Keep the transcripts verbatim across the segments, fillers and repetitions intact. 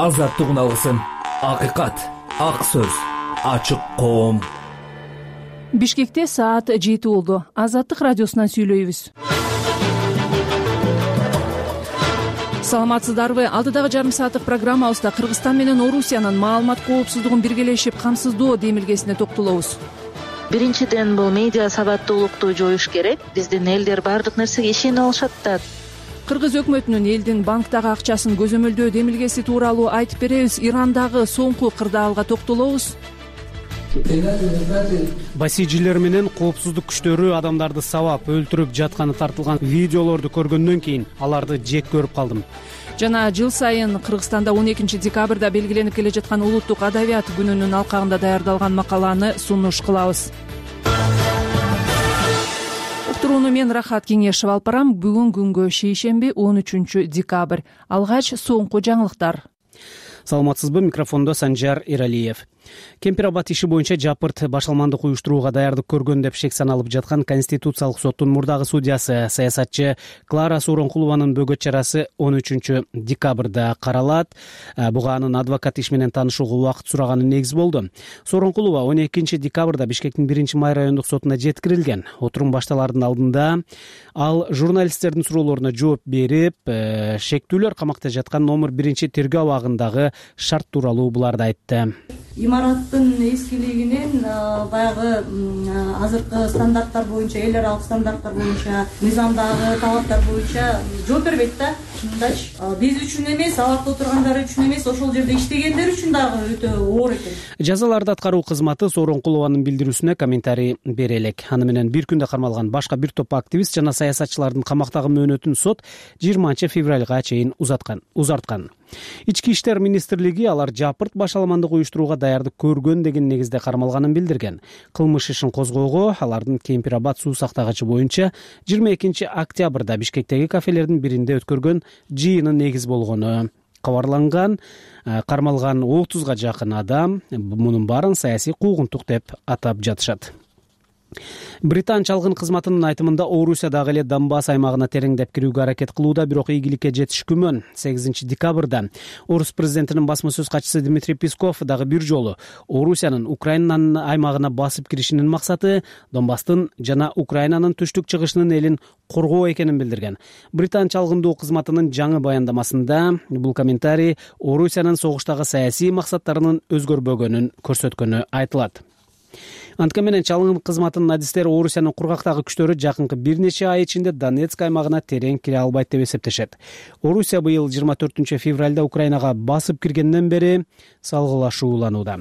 азаттык алсын. Акыйкат, ак сөз, ачык коом. Бишкекте саат жети болду. Азаттык радиосунан сүйлөйбүз. Саламатсыздарбы? Алдыдагы жарым сааттык программабызда Кыргызстан менен Орусиянын маалымат коопсуздугун биргелешип камсыздоо демилгесине токтолобуз. Биринчиден, бул медиа сабаттуулукту жоюш керек. Биздин элдер баардык нерсеге ишене алышат да. Кыргыз өкмөтүнүн элдин банктагы акчасын көзөмөлдөө демилгеси тууралуу айтып беребиз. Ирандагы соңку кырдаалга токтолобуз. Басижилер менен коопсуздук күчтөрү адамдарды сабап өлтүрүп жатканы тартылган видеолорду көргөндөн кийин аларды жек көрүп калдым. Жана жыл сайын Кыргызстанда он экинчи декабрда белгиленип келе жаткан улуттук адабият күнүнүн алкагында даярдалган макаланы сунуш кылабыз. Уктурууну мен Рахат Кеңешева алып барам. Бүгүн күнгө шейшемби он үчүнчү декабрь. Алгач соңку жаңылыктар. Саламатсызбы? Микрофондо Санжар Эралиев. Кемпир-Абад иши боюнча жапырт башалмандык уюштурууга даярдык көргөн деп шек саналып жаткан Конституциялык соттун мурдагы судьясы, саясатчы Клара Сооронкулованын бөгөт чарасы он үчүнчү декабрда каралат. Буга анын адвокат иш менен таанышууга убакыт сураганы негиз болду. Сооронкулова он экинчи декабрда Бишкектин биринчи май райондук сотуна жеткирилген. Отурум башталаардын алдында ал журналисттердин суроолоруна жооп берип, шектүүлөр камакта жаткан номер биринчи тергөө абагындагы шарт тууралуу буларды айтты. Имараттын эскилигинен баягы азыркы стандарттар боюнча, эл аралык стандарттар боюнча, мыйзамдагы талаптар боюнча жооп бербейт да. Чындачы биз үчүн эмес, абакта отургандар үчүн эмес, ошол жерде иштегендер үчүн дагы өтө оор экен. Жазаларды аткаруу кызматы Сооронкулованын билдирүүсүнө комментарий бере элек. Аны менен бир күндө кармалган башка бир топ активист жана саясатчылардын камактагы мөөнөтүн сот жыйырманчы февралга чейин узаткан, узарткан. Ички иштер министрлиги алар жапырт башаламандык уюштурууга даярдык көргөн деген негизде кармалганын билдирген. Кылмыш ишин козгоого алардын Кемпир-Абад суу сактагычы боюнча жыйырма экинчи октябрда Бишкектеги кафелердин биринде өткөргөн жыйыны негиз болгону кабарланган. Кармалган отузга жакын адам мунун баарын саясий куугунтук деп атап жатышат. Британ чалгын кызматынын айтымында Орусия дагы эле Донбасс аймагына тереңдеп кирүүгө аракет кылууда, бирок ийгиликке жетиш күмөн. сегизинчи декабрда Орус президентинин басма сөз катчысы Дмитрий Песков дагы бир жолу Орусиянын Украинанын аймагына басып киришинин максаты Донбасстын жана Украинанын түштүк чыгышынын элин коргоо экенин билдирген. Британ чалгындоо кызматынын жаңы баяндамасында бул комментарий Орусиянын согуштагы саясий максаттарынын өзгөрбөгөнүн көрсөткөнү айтылат. Антка менен чалгын кызматынын адистери Орусиянын кургактагы күчтөрү жакынкы бир нече ай ичинде Донецк аймагына терең кире албайт деп эсептешет. Орусия быйыл жыйырма төртүнчү февралда Украинага басып киргенден бери салгылашууланууда.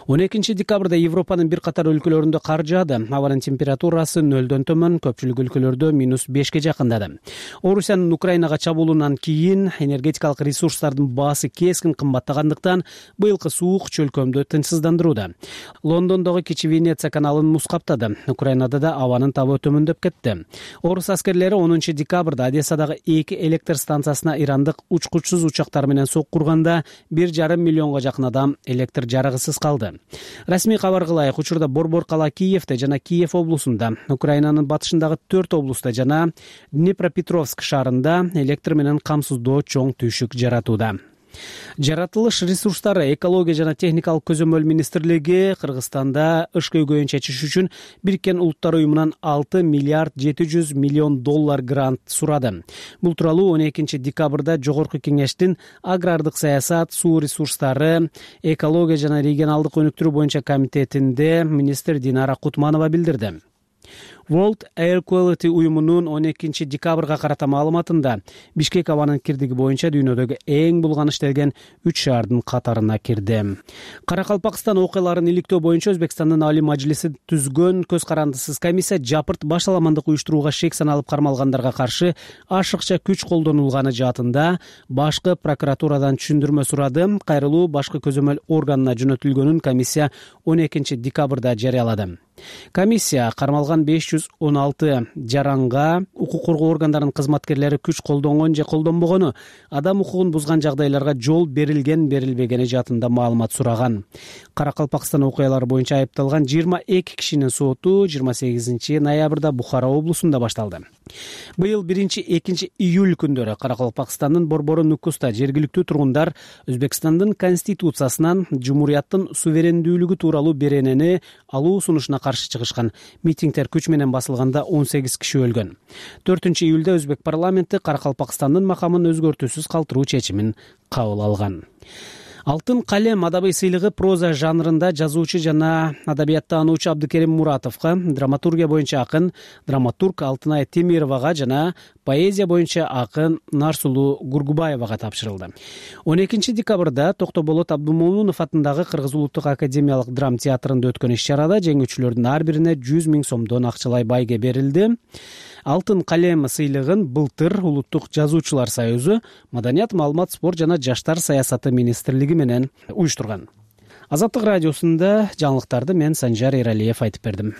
он экинчи декабрда Европанын бир катар өлкөлөрүндө кар жаады. Абанын температурасы нөлдөн төмөн, көпчүлүк өлкөлөрдө минус бешке жакындады. Орусиянын Украинага чабуулунан кийин энергетикалык ресурстардын баасы кескин кымбаттагандыктан быйылкы суук чөлкөмдү тынчсыздандырууда. Лондондогу Кичи Венеция каналын муз каптады. Украинада да абанын табы төмөндөп кетти. Орус аскерлери онунчу декабрда Одессадагы эки электр станциясына ирандык учкучсуз учактар менен соккурганда бир жарым миллионго жакын адам электр жарыгысыз калды. Расмий кабар кылайык, учурда Борбор кала Киевте жана Киев облусунда, Украинанын батышындагы төрт облуста жана Днепропетровск шаарында электр менен камсыздоо чоң түйшүк жаратууда. Жаратылыш ресурстары, экология жана техникалык көзөмөл министрлиги Кыргызстанда ыш көйгөйүн чечиш үчүн Бириккен Улуттар уюмунан алты миллиард жети жүз миллион доллар грант сурады. Бул тууралуу он экинчи декабрда Жогорку кеңештин агрардык саясат, суу ресурстары, экология жана регионалдык өнүктүрүү боюнча комитетинде министр Динара Кутманова билдирди. World Air Quality уюмунун он экинчи декабрга карата маалыматында Бишкек абанын кирдиги боюнча дүйнөдөгү эң булганышталган үч шаардын катарына кирди. Каракалпакстан окуяларын иликтөө боюнча Өзбекстандын Алий Мажлиси түзгөн көз карандысыз комиссия жапырт башаламандык уюштурууга шек саналып кармалгандарга каршы ашыкча күч колдонулганы жаатында башкы прокуратурадан түшүндүрмө сурады. Кайрылуу башкы көзөмөл органына жөнөтүлгөнүн комиссия он экинчи декабрда жарыялады. Комиссия кармалган беш жүз он алты жаранга укук коргоо органдарынын кызматкерлери күч колдонгон же колдонбогону, адам укугун бузган жагдайларга жол берилген берилбегени жаатында маалымат сураган. Каракалпакстан окуялары боюнча айыпталган жыйырма эки кишинин соту жыйырма сегизинчи ноябрда Бухара облусунда башталды. Быйыл биринчи экинчи июль күндөрү Каракалпакстандын Борбору Нукуста жергиликтүү тургундар Өзбекстандын конституциясынан жумурияттын суверендүүлүгү тууралуу беренени алуу сунушуна каршы чыгышкан. Митингдер күч менен басылганда он сегиз киши өлгөн. төртүнчү июлда Өзбек парламенти Каракалпакстандын макамын өзгөртүүсүз калтыруу чечимин кабыл алган. Алтын калем адабий сыйлыгы проза жанрында жазуучу жана адабияттануучу Абдыкерим Муратовго, драматургия боюнча акын драматург Алтынай Темировага жана поэзия боюнча акын Нарсулуу Гургубаевага тапшырылды. он экинчи декабрда Токтоболот Абдумомунов атындагы Кыргыз улуттук академиялык драма театрында өткөн иш-чарада жеңүүчүлөрдүн ар бирине жүз миң сомдон акчалай байге берилди. Алтын калем сыйлыгын былтыр Улуттук жазуучулар союзу, Маданият, маалымат, спорт жана жаштар саясаты министрлиги менен уюштурган. Азаттык радиосунда жаңылыктарды мен Санжар Эралиев айтып бердим.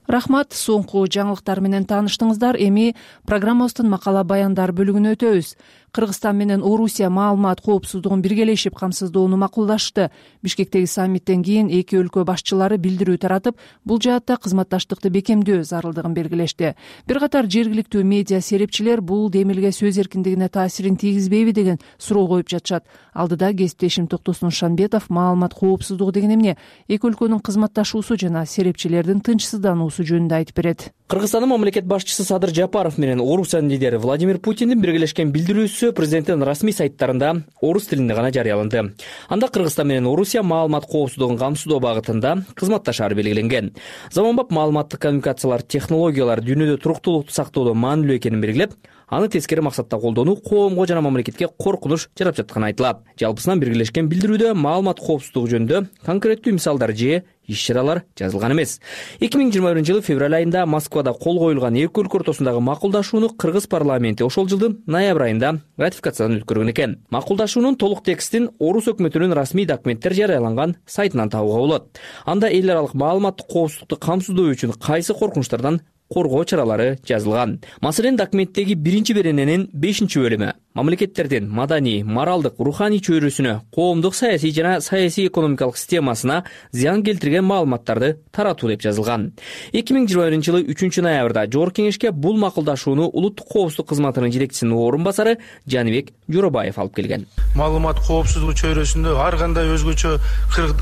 Рахмат, соңку жаңылыктар менен тааныштыңыздар. Эми программабыздын макала баяндар бөлүгүнө өтөбүз. Кыргызстан менен Орусия маалымат коопсуздугун биргелешип камсыздоону макулдашты. Бишкектеги саммиттен кийин эки өлкө башчылары билдирүү таратып, бул жаатта кызматташтыкты бекемдөө зарылдыгын белгилешти. Бир катар жергиликтүү медиа серепчилер бул демилге сөз эркиндигине таасирин тийгизбейби деген суроо коюп жатышат. Алдыда кесиптешим Токтосун Шанбетов маалымат коопсуздугу деген эмне, эки өлкөнүн кызматташуусу жана серепчилердин тынчсыздануусу жөнүндө айтып берет. Кыргызстандын мамлекет башчысы Садыр Жапаров менен Орусиянын лидери Владимир Путиндин биргелешкен билдирүүсү президенттин расмий сайттарында орус тилинде гана жарыяланды. Анда Кыргызстан менен Орусия маалымат коопсуздугун камсыздоо багытында кызматташары белгиленген. Заманбап маалыматтык коммуникациялар технологиялар дүйнөдө туруктуулукту сактоодо маанилүү экенин белгилеп, аны тескери максатта колдонуу коомго жана мамлекетке коркунуч жарап жатканы айтылат. Жалпысынан биргелешкен билдирүүдө маалымат коопсуздугу жөнүндө конкреттүү мисалдар же иш-чаралар жазылган эмес. эки миң жыйырма биринчи жылы февраль айында Москвада кол коюлган эки өлкө ортосундагы макулдашууну Кыргыз парламенти ошол жылдын ноябрь айында ратификациядан өткөргөн экен. Макулдашуунун толук текстин орус өкмөтүнүн расмий документтер жарыяланган сайтынан табууга болот. Анда эл аралык маалыматтык коопсуздукту камсыздоо үчүн кайсы коркунучтардан коргоо чаралары жазылган. Маселен, документтеги биринчи берененин бешинчи бөлүмү мамлекеттердин маданий, моралдык, руханий чөйрөсүнө, коомдук саясий жана саясий экономикалык системасына зыян келтирген маалыматтарды таратуу деп жазылган. эки миң жыйырма биринчи жылы үчүнчү ноябрда Жогорку кеңешке бул макулдашууну Улуттук коопсуздук кызматынын жетекчисинин орун басары Жаныбек Жоробаев алып келген. Маалымат коопсуздугу чөйрөсүндө ар кандай өзгөчө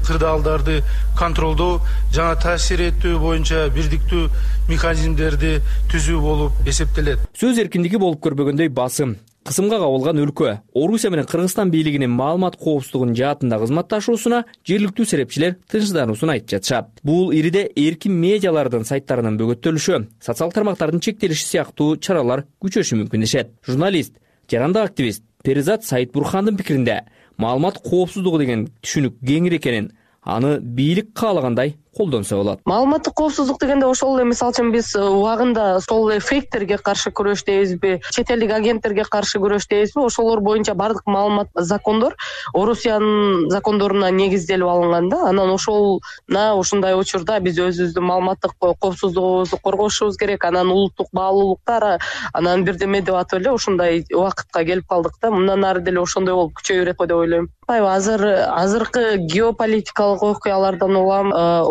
кырдаалдарды контролдоо жана таасир этүү боюнча бирдиктүү механизмдерди түзүү болуп эсептелет. Сөз эркиндиги болуп көрбөгөндөй басым, кысымга кабылган өлкө Орусия менен Кыргызстан бийлигинин маалымат коопсуздугунун жаатында кызматташуусуна жергиликтүү серепчилер тынчсыздануусун айтып жатышат. Бул ириде эркин медиалардын сайттарынын бөгөттөлүшү, социалдык тармактардын чектелиши сыяктуу чаралар күчөшү мүмкүн дешет. Журналист, жарандык активист Перизат Саитбурхандын пикиринде маалымат коопсуздугу деген түшүнүк кеңири экенин, аны бийлик каалагандай колдонсо болот. Маалыматтык коопсуздук дегенде ошол эле, мисалы үчүн биз убагында сол эле фейктерге каршы күрөштөйбүзбү, чет элдик агенттерге каршы күрөштөйбүзбү, ошолор боюнча бардык маалымат закондор Орусиянын закондоруна негизделип алынган да. Анан ошолна ушундай учурда биз өзүбүздүн маалыматтык коопсуздугубузду коргошубуз керек, анан улуттук баалуулуктар, анан бирдеме деп атып эле ушундай убакытка келип калдык да. Мындан ары деле ошондой болуп күчөй берет го деп ойлойм. Азыр азыркы геополитикалык окуялардан улам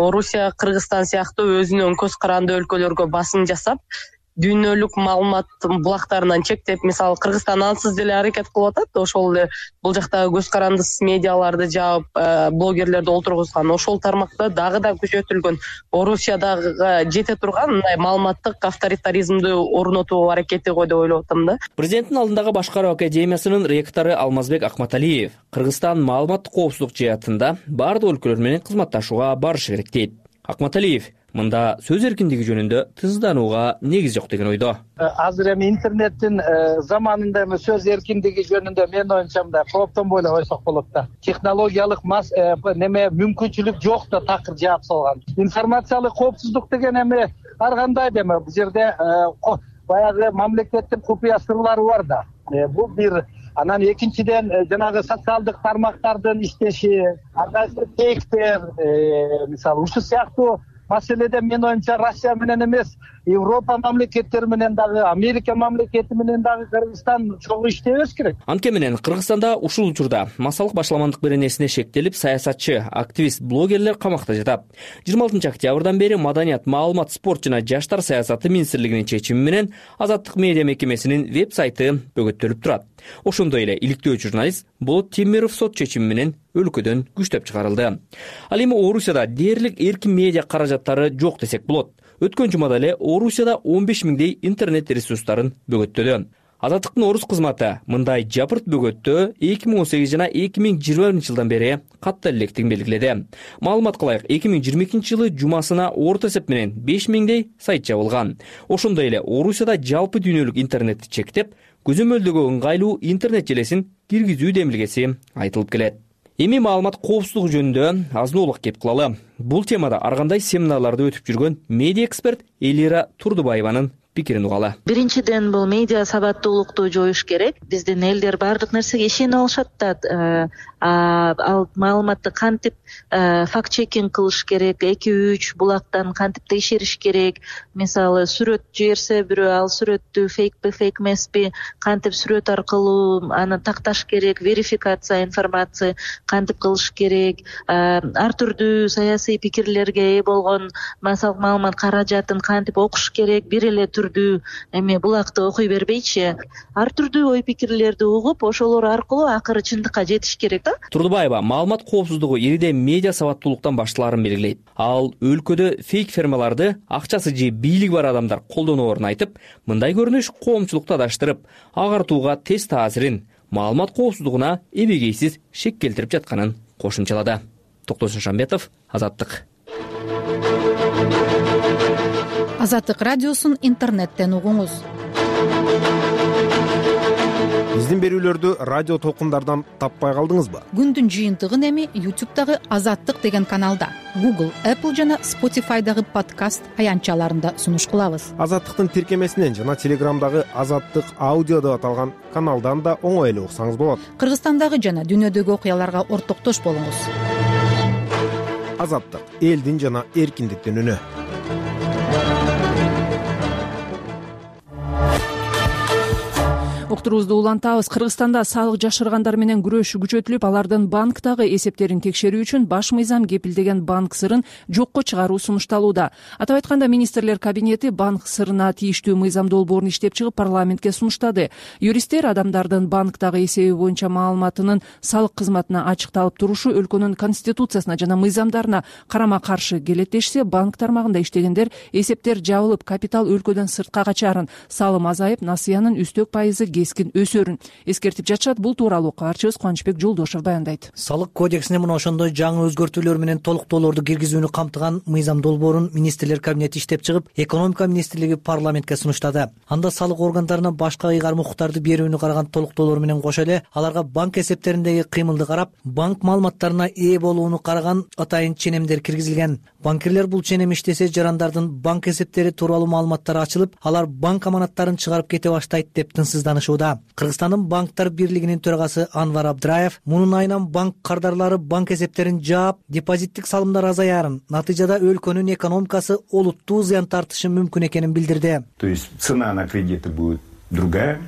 Орусия, Кыргызстан сыяктуу өзүнүн көз каранды өлкөлөргө басым жасап, дүйнөлүк маалымат булактарынан чектеп, мисалы Кыргызстан ансыз деле аракет кылып атат. Ошол эле бул жактагы көз карандысыз медиаларды жаап, блогерлерди олтургузган. Ошол тармакта дагы да күчөтүлгөн, Орусиядагы жете турган мындай маалыматтык авторитаризмди орнотуу аракети го деп ойлоп атам да. Президенттин алдындагы башкаруу академиясынын ректору Алмазбек Акматалиев Кыргызстан маалыматтык коопсуздук жаатында бардык өлкөлөр менен кызматташууга барышы керек дейт. Акматалиев мында сөз эркиндиги жөнүндө тынчсызданууга негиз жок деген ойдо. Азыр эми интернеттин заманында эми сөз эркиндиги жөнүндө менин оюмча мындай кооптонбой эле койсок болот да. Технологиялык мас неме мүмкүнчүлүк жок да такыр жаап салган. Информациялык коопсуздук деген эми ар кандай эми бул жерде баягы мамлекеттин купуя сырлары бар да. Бул бир. Анан экинчиден жанагы социалдык тармактардын иштеши, ар кайсы фейктер, мисалы ушул сыяктуу маселеде менин оюмча Россия менен эмес, Европа мамлекеттери менен дагы, Америка мамлекети менен дагы Кыргызстан чогуу иштебеш керек. Анткени менен Кыргызстанда ушул учурда массалык башаламандык беренесине шектелип, саясатчы, активист, блогерлер камакта жатат. жыйырма алтынчы октябрдан бери Маданият, маалымат, спорт жана жаштар саясаты министрлигинин чечими менен Азаттык медиа мекемесинин веб-сайты бөгөттөлүп турат. Ошондой эле иликтөө журналист Болот Темиров сот чечими менен өлкөдөн күчтөп чыгарылды. Ал эми Орусияда дээрлик эркин медиа каражаттары жок десек болот. Өткөн жумада эле Орусияда он беш миңдей интернет ресурстарын бөгөттөдү. Азаттыктын орус кызматы мындай жапырт бөгөттөө эки миң он сегиз жана эки миң жыйырма биринчи жылдан бери катта электигин белгиледи. Маалымат кылайык, эки миң жыйырма экинчи жылы жумасына орто эсеп менен беш миңдей сайт жабылган. Ошондой эле Орусияда жалпы дүйнөлүк интернетти чектеп, көзөмөлдөгө ыңгайлуу интернет желесин киргизүү демилгеси айтылып келет. Эми маалымат коопсуздугу жөнүндө азын-аулак кеп кылалы. Бул темада ар кандай семинарларды өтүп жүргөн медиа эксперт Элира Турдубаеванын пикирин угалы. Биринчиден, бул медиа сабаттуулукту жоюш керек. Биздин элдер баардык нерсеге ишене алышат да, ал маалыматты кантип факт чекинг кылыш керек, эки үч булактан кантип текшериш керек. Мисалы, сүрөт жиберсе бирөө, ал сүрөттү фейкпи, фейк эмеспи, кантип сүрөт аркылуу аны такташ керек, верификация информация кантип кылыш керек, ар түрдүү саясий пикирлерге ээ болгон массалык маалымат каражатын кантип окуш керек, бир эле түрдүү эми булакты окуй бербейчи, ар түрдүү ой пикирлерди угуп, ошолор аркылуу акыры чындыкка жетиш керек да. Турдубаева маалымат коопсуздугу ириде медиа сабаттуулуктан башталаарын белгилейт. Ал өлкөдө фейк фермаларды акчасы же бийлиги бар адамдар колдоноорун айтып, мындай көрүнүш коомчулукту адаштырып, агартууга тез таасирин, маалымат коопсуздугуна эбегейсиз шек келтирип жатканын кошумчалады. Токтосун Шамбетов, Азаттык. Азаттык радиосун интернеттен угуңуз. Биздин берүүлөрдү радио толкундардан таппай калдыңызбы? Күндүн жыйынтыгын эми ютубтагы Азаттык деген каналда, Google, Apple жана Spotify'дагы подкаст аянтчаларында сунуш кылабыз. Азаттыктын тиркемесинен жана Телеграмдагы Азаттык аудио деп аталган каналдан да оңой эле уксаңыз болот. Кыргызстандагы жана дүйнөдөгү окуяларга ортоктош болуңуз. Азаттык — элдин жана эркиндиктин үнү. Уктуруубузду улантабыз. Кыргызстанда салык жашыргандар менен күрөшүү күчөтүлүп, алардын банктагы эсептерин текшерүү үчүн баш мыйзам кепилдеген банк сырын жокко чыгаруу сунушталууда. Атап айтканда, министрлер кабинети банк сырына тийиштүү мыйзам долбоорун иштеп чыгып парламентке сунуштады. Юристтер адамдардын банктагы эсеби боюнча маалыматынын салык кызматына ачыкталып турушу өлкөнүн конституциясына жана мыйзамдарына карама-каршы келет дешсе, банк тармагында иштегендер эсептер жабылып, капитал өлкөдөн сыртка качарын, салым азайып, насыянын үстөк пайызы кескин өсөрүн эскертип жатышат. Бул тууралуу каарчыбыз Кубанычбек Жолдошов баяндайт. Салык кодексине мына ошондой жаңы өзгөртүүлөр менен толуктоолорду киргизүүнү камтыган мыйзам долбоорун министрлер кабинети иштеп чыгып, экономика министрлиги парламентке сунуштады. Анда салык органдарына башка ыйгарым укуктарды берүүнү караган толуктоолор менен кошо эле аларга банк эсептериндеги кыймылды карап, банк маалыматтарына ээ болууну караган атайын ченемдер киргизилген. Банкирлер бул ченем иштесе, жарандардын банк эсептери тууралуу маалыматтары ачылып, алар банк аманаттарын чыгарып кете баштайт деп тынчсызданышууда. Кыргызстандын банктар бирлигинин төрагасы Анвар Абдраев мунун айынан банк кардарлары банк эсептерин жаап, депозиттик салымдар азаярын, натыйжада өлкөнүн экономикасы олуттуу зыян тартышы мүмкүн экенин билдирди. То есть цена на кредиты будет другая,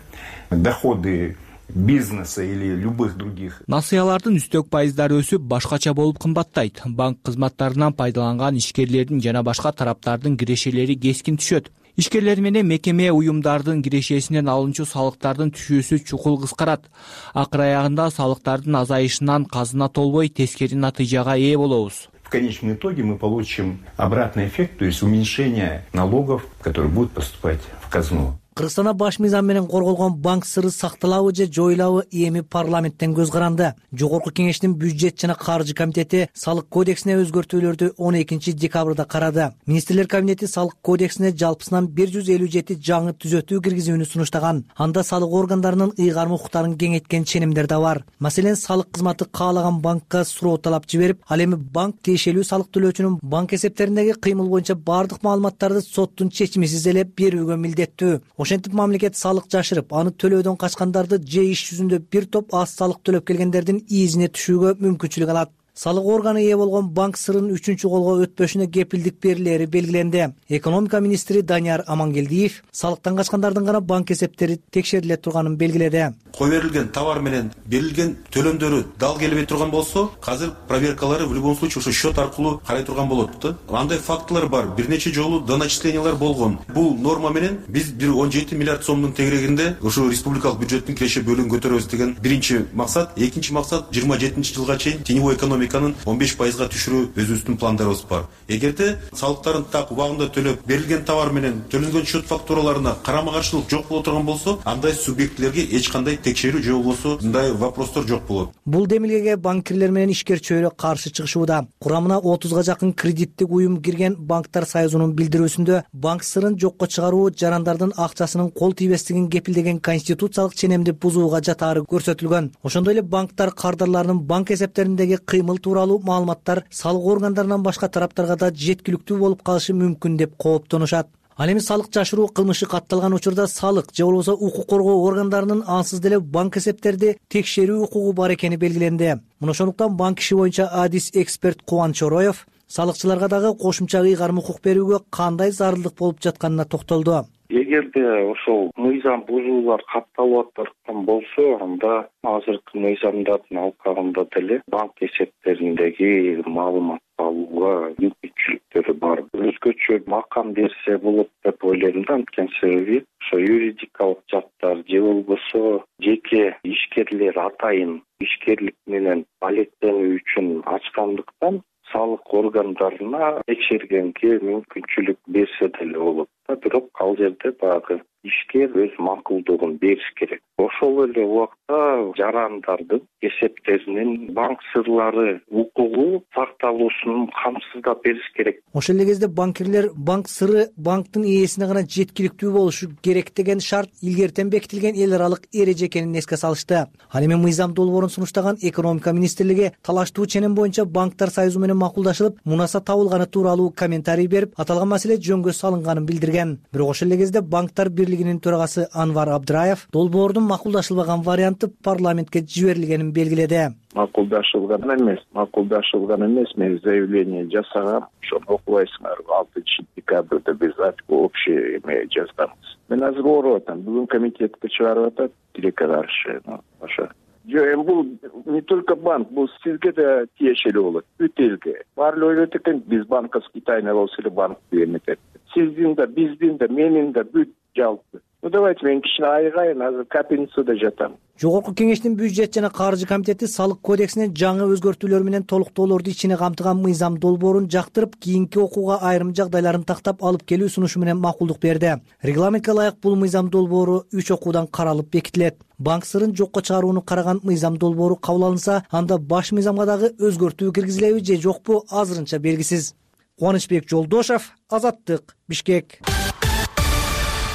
доходы бизнеса или любых других. Насыялардын үстөк пайыздары өсүп, башкача болуп кымбаттайт. Банк кызматтарынан пайдаланган ишкерлердин жана башка тараптардын кирешелери кескин түшөт. Ишкерлер менен мекеме уюмдардын кирешесинен алынчу салыктардын түшүүсү чукул кыскарат. Акыр аягында салыктардын азайышынан казына толбой, тескери натыйжага ээ болобуз. В конечном итоге мы получим обратный эффект, то есть уменьшение налогов, которые будут поступать в казну. Кыргызстанда баш мыйзам менен корголгон банк сыры сакталабы же жоюлабы эми парламенттен көз каранды. Жогорку кеңештин бюджет жана каржы комитети салык кодексине өзгөртүүлөрдү он экинчи декабрда карады. Министрлер кабинети салык кодексине жалпысынан бир жүз элүү жети жаңы түзөтүү киргизүүнү сунуштаган. Анда салык органдарынын ыйгарым укуктарын кеңейткен ченемдер да бар. Маселен, салык кызматы каалаган банкка суроо талап жиберип, ал эми банк тиешелүү салык төлөөчүнүн банк эсептериндеги кыймыл боюнча баардык маалыматтарды соттун чечимисиз эле берүүгө милдеттүү. Ошентип мамлекет салык жашырып, аны төлөөдөн качкандарды же иш жүзүндө бир топ аз салык төлөп келгендердин изине түшүүгө мүмкүнчүлүк алат. салык органы ээ болгон банк сырынын үчүнчү колго өтпөшүнө кепилдик берилери белгиленди. Экономика министри Данияр Амангелдиев салыктан качкандардын гана банк эсептери текшериле турганын белгиледи. Кой берилген товар менен берилген төлөмдөрү дал келбей турган болсо, азыр проверкалары в любом случае ошо счет аркылуу карай турган болот да. Андай фактылар бар. Бир нече жолу доначислениялар болгон. Бул норма менен биз бир он жети миллиард сомдун тегерегинде ошо республикалык бюджеттин киреше бөлүгүн көтөрөбүз деген биринчи максат. Экинчи максат жыйырма жетинчи жылга чейин теневой экономиканын он беш пайызга түшүрүү өзүбүздүн пландарыбыз бар. Эгерде салыктарын так убагында төлөп, берилген товар менен төлөнгөн счет фактураларына карама каршылык жок боло турган болсо, андай субъектлерге эч кандай текшерүү же болбосо мындай вопростор жок болот. Бул демилгеге банкирлер менен ишкер чөйрө каршы чыгышууда. Курамына отузга жакын кредиттик уюм кирген Банктар союзунун билдирүүсүндө банк сырын жокко чыгаруу жарандардын акчасынын кол тийбестигин кепилдеген конституциялык ченемди бузууга жатаары көрсөтүлгөн. Ошондой эле банктар кардарларынын банк эсептериндеги кыймыл тууралуу маалыматтар салык органдарынан башка тараптарга да жеткиликтүү болуп калышы мүмкүн деп кооптонушат. Ал эми салык жашыруу кылмышы катталган учурда салык же болбосо укук коргоо органдарынын ансыз деле банк эсептерди текшерүү укугу бар экени белгиленди. Мына ошондуктан банк иши боюнча адис эксперт Кубаныч Ороев салыкчыларга дагы кошумча ыйгарым укук берүүгө кандай зарылдык болуп жатканына токтолду. Эгерде ошол мыйзам бузуулар катталып аткан болсо, анда азыркы мыйзамдардын алкагында деле банк эсептериндеги маалымат алууга мүмкүнчүлүктөрү бар. Өзгөчө макам берсе болот деп ойлойм да, анткени себеби ошо юридикалык жактар же болбосо жеке ишкерлер атайын ишкерлик менен алектенүү үчүн ачкандыктан салык органдарына текшергенге мүмкүнчүлүк берсе деле болот. Бирок ал жерде баягы ишкер өз макулдугун бериш керек. Ошол эле убакта жарандардын эсептеринин банк сырлары укугу сакталуусун камсыздап бериш керек. Ошол эле кезде банкирлер банк сыры банктын ээсине гана жеткиликтүү болушу керек деген шарт илгертен бекитилген эл аралык эреже экенин эске салышты. Ал эми мыйзам долбоорун сунуштаган экономика министрлиги талаштуу ченем боюнча банктар союзу менен макулдашылып, мунаса табылганы тууралуу комментарий берип, аталган маселе жөнгө салынганын билдирген. Бирок ошол эле кезде банктар бирлигинин төрагасы Анвар Абдраев долбоордун макулдашылбаган варианты парламентке жиберилгенин белгиледи. Макулдашылган эмес, макулдашылган эмес, мен заявление жасагам. Ошону окубайсыңар. алтынчы декабрда биз общий эме жазганбыз. Мен азыр ооруп атам. Бүгүн комитетке чыгарып атат, тилекке каршы. Ошо. Жок, эми бул не только банк, бул сизге да тиешелүү болот. Бүт элге. Баары ойлойт экен, биз банковский тайна болсо эле банк эмнетет. Сиздин да, биздин да, менин да бүт жалпы. Ну давайте мен кичине айгайын, азыр капельницада жатам. Жогорку кеңештин бюджет жана каржы комитети салык кодексине жаңы өзгөртүүлөр менен толуктоолорду ичине камтыган мыйзам долбоорун жактырып, кийинки окууга айрым жагдайларын тактап алып келүү сунушу менен макулдук берди. Регламентке ылайык бул мыйзам долбоору үч окуудан каралып бекитилет. Банк сырын жокко чыгарууну караган мыйзам долбоору кабыл алынса, анда баш мыйзамга дагы өзгөртүү киргизилеби же жокпу азырынча белгисиз. Кубанычбек Жолдошев, Азаттык, Бишкек.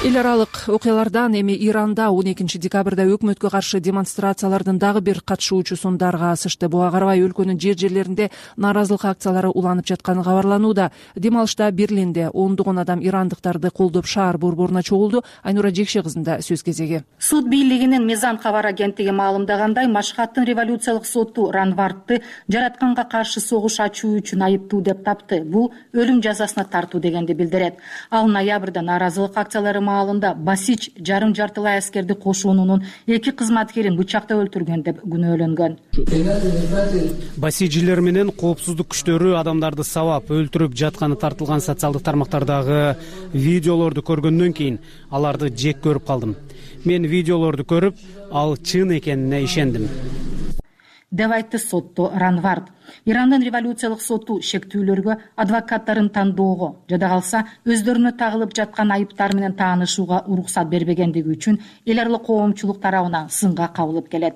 Эл аралык окуялардан эми Иранда он экинчи декабрда өкмөткө каршы демонстрациялардын дагы бир катышуучусун дарга асышты. Буга карабай өлкөнүн жер жерлеринде нааразылык акциялары уланып жатканы кабарланууда. Дем алышта Берлинде ондогон адам ирандыктарды колдоп шаар борборуна чогулду. Айнура Жекше кызында сөз кезеги. Суд бийлигинин Мизан кабар агенттиги маалымдагандай, Машхаттын революциялык соту Ранвардты жаратканга каршы согуш ачуу үчүн айыптуу деп тапты. Бул өлүм жазасына тартуу дегенди билдирет. Ал ноябрда нааразылык акциялары маалында Басич жарым жартылай аскерди кошуунунун эки кызматкерин бычактап өлтүргөн деп күнөөлөнгөн. Басижилер менен коопсуздук күчтөрү адамдарды сабап өлтүрүп жатканы тартылган социалдык тармактардагы видеолорду көргөндөн кийин аларды жек көрүп калдым. Мен видеолорду көрүп, ал чын экенине ишендим деп айтты сотто Ранвард. Ирандын революциялык соту шектүүлөргө, адвокаттарын тандоого жада калса өздөрүнө тагылып жаткан айыптар менен таанышууга уруксат бербегендиги үчүн эл аралык коомчулук тарабынан сынга кабылып келет.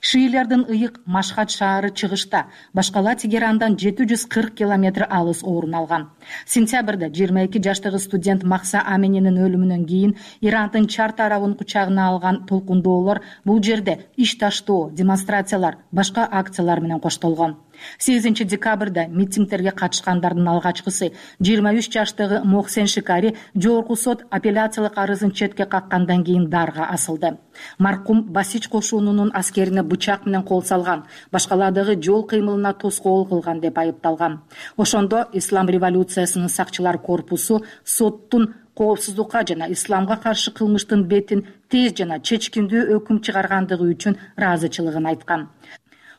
Шиилердин ыйык Машхат шаары чыгышта, башкала Тегерандан жети жүз кырк километр алыс орун алган. Сентябрда жыйырма эки жаштагы студент Макса Аменинин өлүмүнөн кийин Ирандын чар тарабын кучагына алган толкундоолор бул жерде иш таштоо, демонстрациялар, башка акциялар менен коштолгон. сегизинчи декабрда митингдерге катышкандардын алгачкысы жыйырма үч жаштагы Мохсен Шикари жогорку сот апелляциялык арызын четке каккандан кийин дарга асылды. Маркум Басич кошунунун аскерине бычак менен кол салган, башкалардагы жол кыймылына тоскоол кылган деп айыпталган. Ошондо Ислам революциясынын сакчылар корпусу соттун коопсуздукка жана исламга каршы кылмыштын бетин тез жана чечкиндүү өкүм чыгаргандыгы үчүн ыраазычылыгын айткан.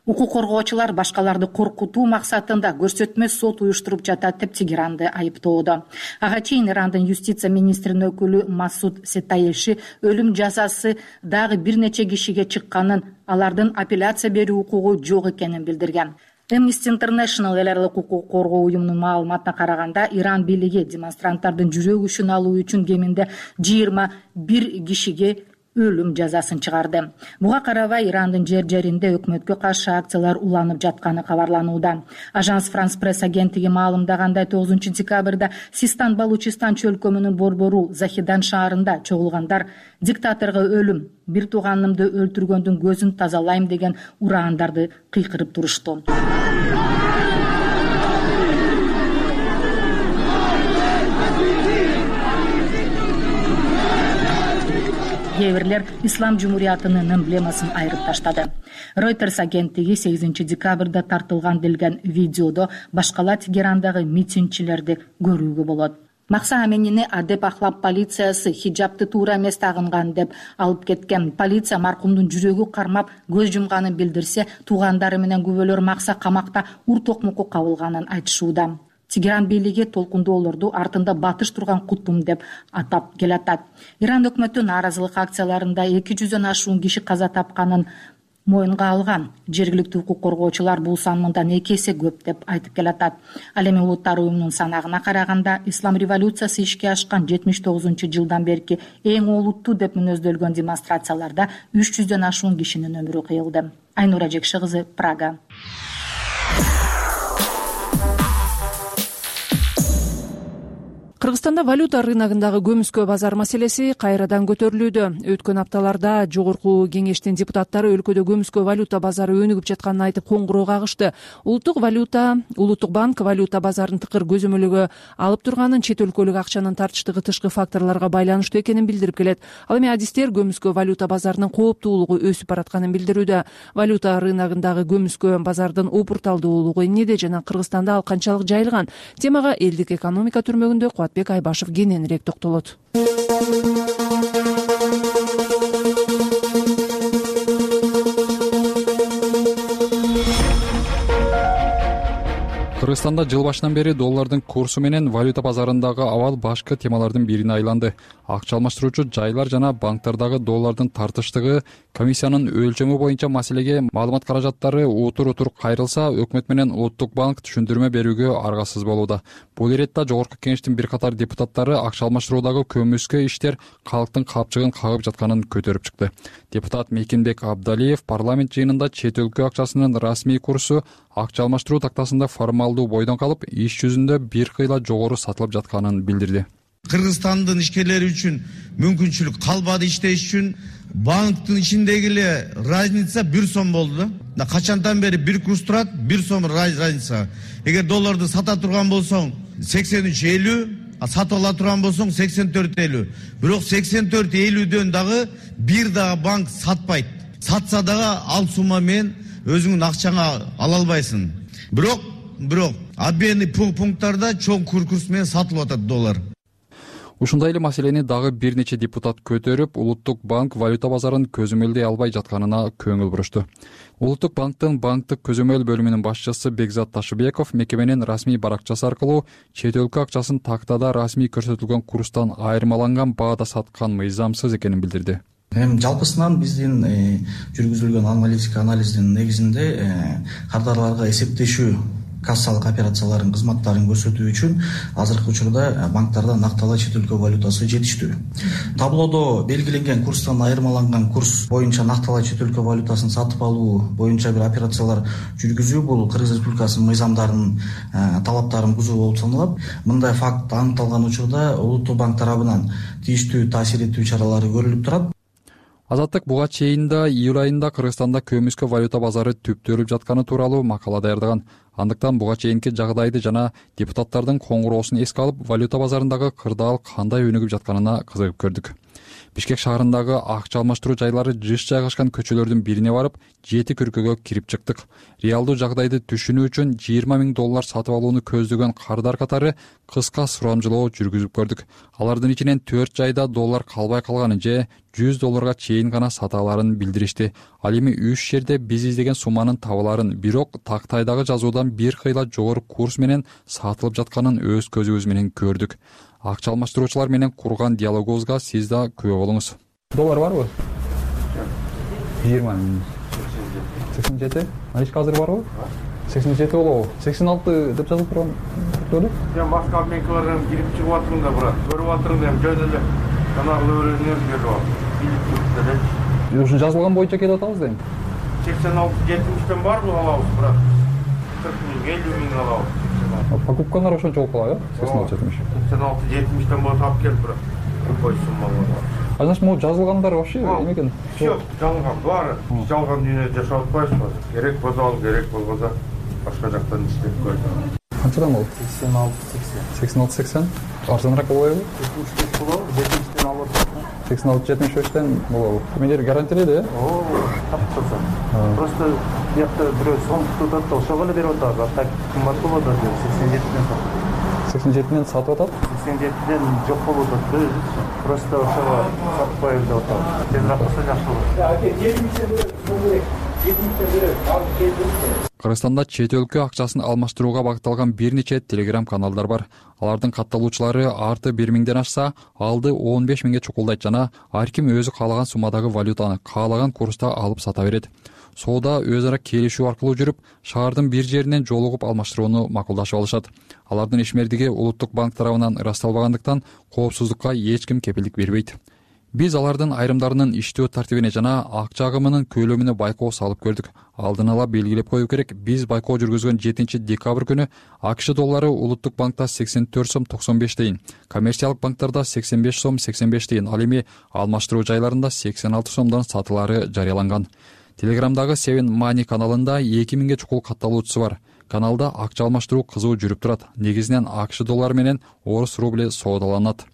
Укук коргоочулар башкаларды коркутуу максатында көрсөтмө сот уюштуруп жатат деп Тегеранды айыптоодо. Ага чейин Ирандын юстиция министринин өкүлү Масуд Сетаеши өлүм жазасы дагы бир нече кишиге чыкканын, алардын апелляция берүү укугу жок экенин билдирген. Amnesty International эл аралык укук коргоо уюмунун маалыматына караганда, Иран бийлиги демонстранттардын жүрөк учун алуу үчүн кеминде жыйырма бир кишиге өлүм жазасын чыгарды. Буга карабай Ирандын жер жеринде өкмөткө каршы акциялар уланып жатканы кабарланууда. Ажанс Франс пресс агенттиги маалымдагандай, тогузунчу декабрда Систан Балучистан чөлкөмүнүн борбору Захидан шаарында чогулгандар диктаторго өлүм, бир тууганымды өлтүргөндүн көзүн тазалайм деген ураандарды кыйкырып турушту. Кээ бирлер Ислам жумуриятынын эмблемасын айырып таштады. Reuters агенттиги сегизинчи декабрда тартылган делген видеодо башкала Тегерандагы митингчилерди көрүүгө болот. Макса Аменини Адеп Ахлап полициясы хиджабты туура эмес тагынган деп алып кеткен. Полиция маркумдун жүрөгү кармап көз жумганын билдирсе, туугандары менен күбөлөр Макса камакта ур токмокко кабылганын айтышууда. Тегеран бийлиги толкундоолорду артында батыш турган кутум деп атап келатат. Иран өкмөтү нааразылык акцияларында эки жүздөн ашуун киши каза тапканын моюнга алган. Жергиликтүү укук коргоочулар бул сан мындан эки эсе көп деп айтып келатат. Ал эми Улуттар уюмунун санагына караганда, Ислам революциясы ишке ашкан жетимиш тогузунчу жылдан берки эң олуттуу деп мүнөздөлгөн демонстрацияларда үч жүздөн ашуун кишинин өмүрү кыйылды. Айнура Жекши кызы, Прага. Кыргызстанда валюта рыногундагы көмүскө базар маселеси кайрадан көтөрүлүүдө. Өткөн апталарда жогорку кеңештин депутаттары өлкөдө көмүскө валюта базары өнүгүп жатканын айтып коңгуроо кагышты. Улуттук валюта, Улуттук банк валюта базарын тыкыр көзөмөлгө алып турганын, чет өлкөлүк акчанын тартыштыгы тышкы факторлорго байланыштуу экенин билдирип келет. Ал эми адистер көмүскө валюта базарынын кооптуулугу өсүп баратканын билдирүүдө. Валюта рыногундагы көмүскө базардын опурталдуулугу эмнеде жана Кыргызстанда ал канчалык жайылган? Темага элдик экономика түрмөгүндө Кубатбек Айбашев кененирээк токтолот. Кыргызстанда жыл башынан бери доллардын курсу менен валюта базарындагы абал башкы темалардын бирине айланды. Акча алмаштыруучу жайлар жана банктардагы доллардын тартыштыгы, комиссиянын өлчөмү боюнча маселеге маалымат каражаттары утур-утур кайрылса, өкмөт менен Улуттук банк түшүндүрмө берүүгө аргасыз болууда. Бул иретте жогорку кеңештин бир катар депутаттары акча алмаштыруудагы көмүскө иштер калктын капчыгын кагып жатканын көтөрүп чыкты. Депутат Мекинбек Абдалиев парламент жыйынында чет өлкө акчасынын расмий курсу акча алмаштыруу тактасында формалдуу бойдон калып, иш жүзүндө бир кыйла жогору сатылып жатканын билдирди. Кыргызстандын ишкерлери үчүн мүмкүнчүлүк калбады иштеш үчүн. Банктын ичиндеги эле разница бир сом болду да. Качантан бери бир курс турат, бир сом разница. Эгер долларды сата турган болсоң сексен үч элүү, а сатып ала турган болсоң сексен төрт элүү. Бирок сексен төрт элүүдөн дагы бир дагы банк сатпайт. Сатса дагы ал сумма менен өзүңүн акчаңа ала албайсың. Бирок, бирок обменный пункттарда чоң курс менен сатылып атат доллар. Ушундай эле маселени дагы бир нече депутат көтөрүп, Улуттук банк валюта базарын көзөмөлдөй албай жатканына көңүл бурушту. Улуттук банктын банктык көзөмөл бөлүмүнүн башчысы Бекзат Ташыбеков мекеменин расмий баракчасы аркылуу чет өлкө акчасын тактада расмий көрсөтүлгөн курстан айырмаланган баада саткан мыйзамсыз экенин билдирди. Эми жалпысынан биздин жүргүзүлгөн аналитика анализдин негизинде кардарларга эсептешүү кассалык операцияларын кызматтарын көрсөтүү үчүн азыркы учурда банктарда накталаа чет өлкө валютасы жетиштүү. Таблодо белгиленген курстан айырмаланган курс боюнча накталаа чет өлкө валютасын сатып алуу боюнча бир операциялар жүргүзүү бул Кыргыз Республикасынын мыйзамдарынын талаптарын бузуу болуп саналат. Мындай факт аныкталган учурда Улуттук банк тарабынан тийиштүү таасир этүү чаралары көрүлүп турат. Азаттык буга чейин да июль айында Кыргызстанда көмүскө валюта базары түптөлүп жатканы тууралуу макала даярдаган. Андыктан буга чейинки жагдайды жана депутаттардын коңгуроосун эске алып, валюта базарындагы кырдаал кандай өнүгүп жатканына кызыгып көрдүк. Бишкек шаарындагы акча алмаштыруу жайлары жыш жайгашкан көчөлөрдүн бирине барып, жети күркөгө кирип чыктык. Реалдуу жагдайды түшүнүү үчүн жыйырма миң доллар сатып алууну көздөгөн кардар катары кыска сурамжылоо жүргүзүп көрдүк. Алардын ичинен төрт жайда доллар калбай калганын же жүз долларга чейин гана сата аларын билдиришти. Ал эми үч жерде биз издеген сумманын табыларын, бирок тактайдагы жазуудан бир кыйла жогору курс менен сатылып жатканын өз көзүбүз менен көрдүк. Акча алмаштыруучулар менен курган диалогубузга сиз да күбө болуңуз. Доллар барбы? жыйырма миң. сексен жети. Наличка азыр барбы? сексен жети болобу? сексен алты деп жазылып турган беле? Мен башка обменкалардан кирип чыгып атырмын да, брат. Көрүп атырмын да, жөн эле канарлы өрөөнөр берип алып. Ушун жазылган боюнча келип атабыз дейм. сексен алты жетимиштен барбы алабыз, брат? кырк миң, элүү миң алабыз. Покупкалар ошончо болуп калат, э? сексен алты жетимиш. сексен алты жетимиштен болуп алып келип, брат. Любой сумма болот. А значит, могу жазылгандар вообще эме экен? Всё, жалган баары. Жалган дүйнөдө жашап атпайбызбы? Керек болсо ал, керек болбосо башка жактан иштеп көрдүм. Канчадан болот? сексен алты сексен. сексен алты сексен. Арзаныраак болбойбу? жетимиш беш болобу? жетимиштен алып атат. сексен алты жетимиш бештен болобу? Эмелер гарантиялейт, э? Оо, тапчырса. Просто бuyakta бирөө сом тутат да ошого эле берип атат. А так кымбат болот да сексен жетиден сатат. сексен жетиден сатып атат? сексен жетиден жок болуп атат. Просто ошого сатып коелу деп атат. Тезирээк болсо жакшы болот. жетимиштен берет, керек. жетимиштен берет. Ал келди. Кыргызстанда чет өлкө акчасын алмаштырууга багытталган бир нече телеграм каналдар бар. Алардын катталуучулары арты бир миңден ашса, алды он беш миңге чукулдайт жана ар ким өзү каалаган суммадагы валютаны каалаган курста алып сата берет. Соода өз ара келишүү аркылуу жүрүп, шаардын бир жеринен жолугуп алмаштырууну макулдашып алышат. Алардын ишмердиги Улуттук банк тарабынан ырасталбагандыктан коопсуздукка эч ким кепилдик бербейт. Биз алардын айрымдарынын иштөө тартибине жана акча агымынын көлөмүнө байкоо салып көрдүк. Алдын ала белгилеп коюу керек, биз байкоо жүргүзгөн жетинчи декабрь күнү АКШ доллары Улуттук банкта сексен төрт сом токсон беш тыйын, коммерциялык банктарда сексен беш сом сексен беш тыйын, ал эми алмаштыруу жайларында сексен алты сомдон сатылары жарыяланган. Телеграмдагы Seven Money каналында эки миңге чукул катталуучусу бар. Каналда акча алмаштыруу кызуу жүрүп турат. Негизинен АКШ доллары менен орус рубли соодаланат.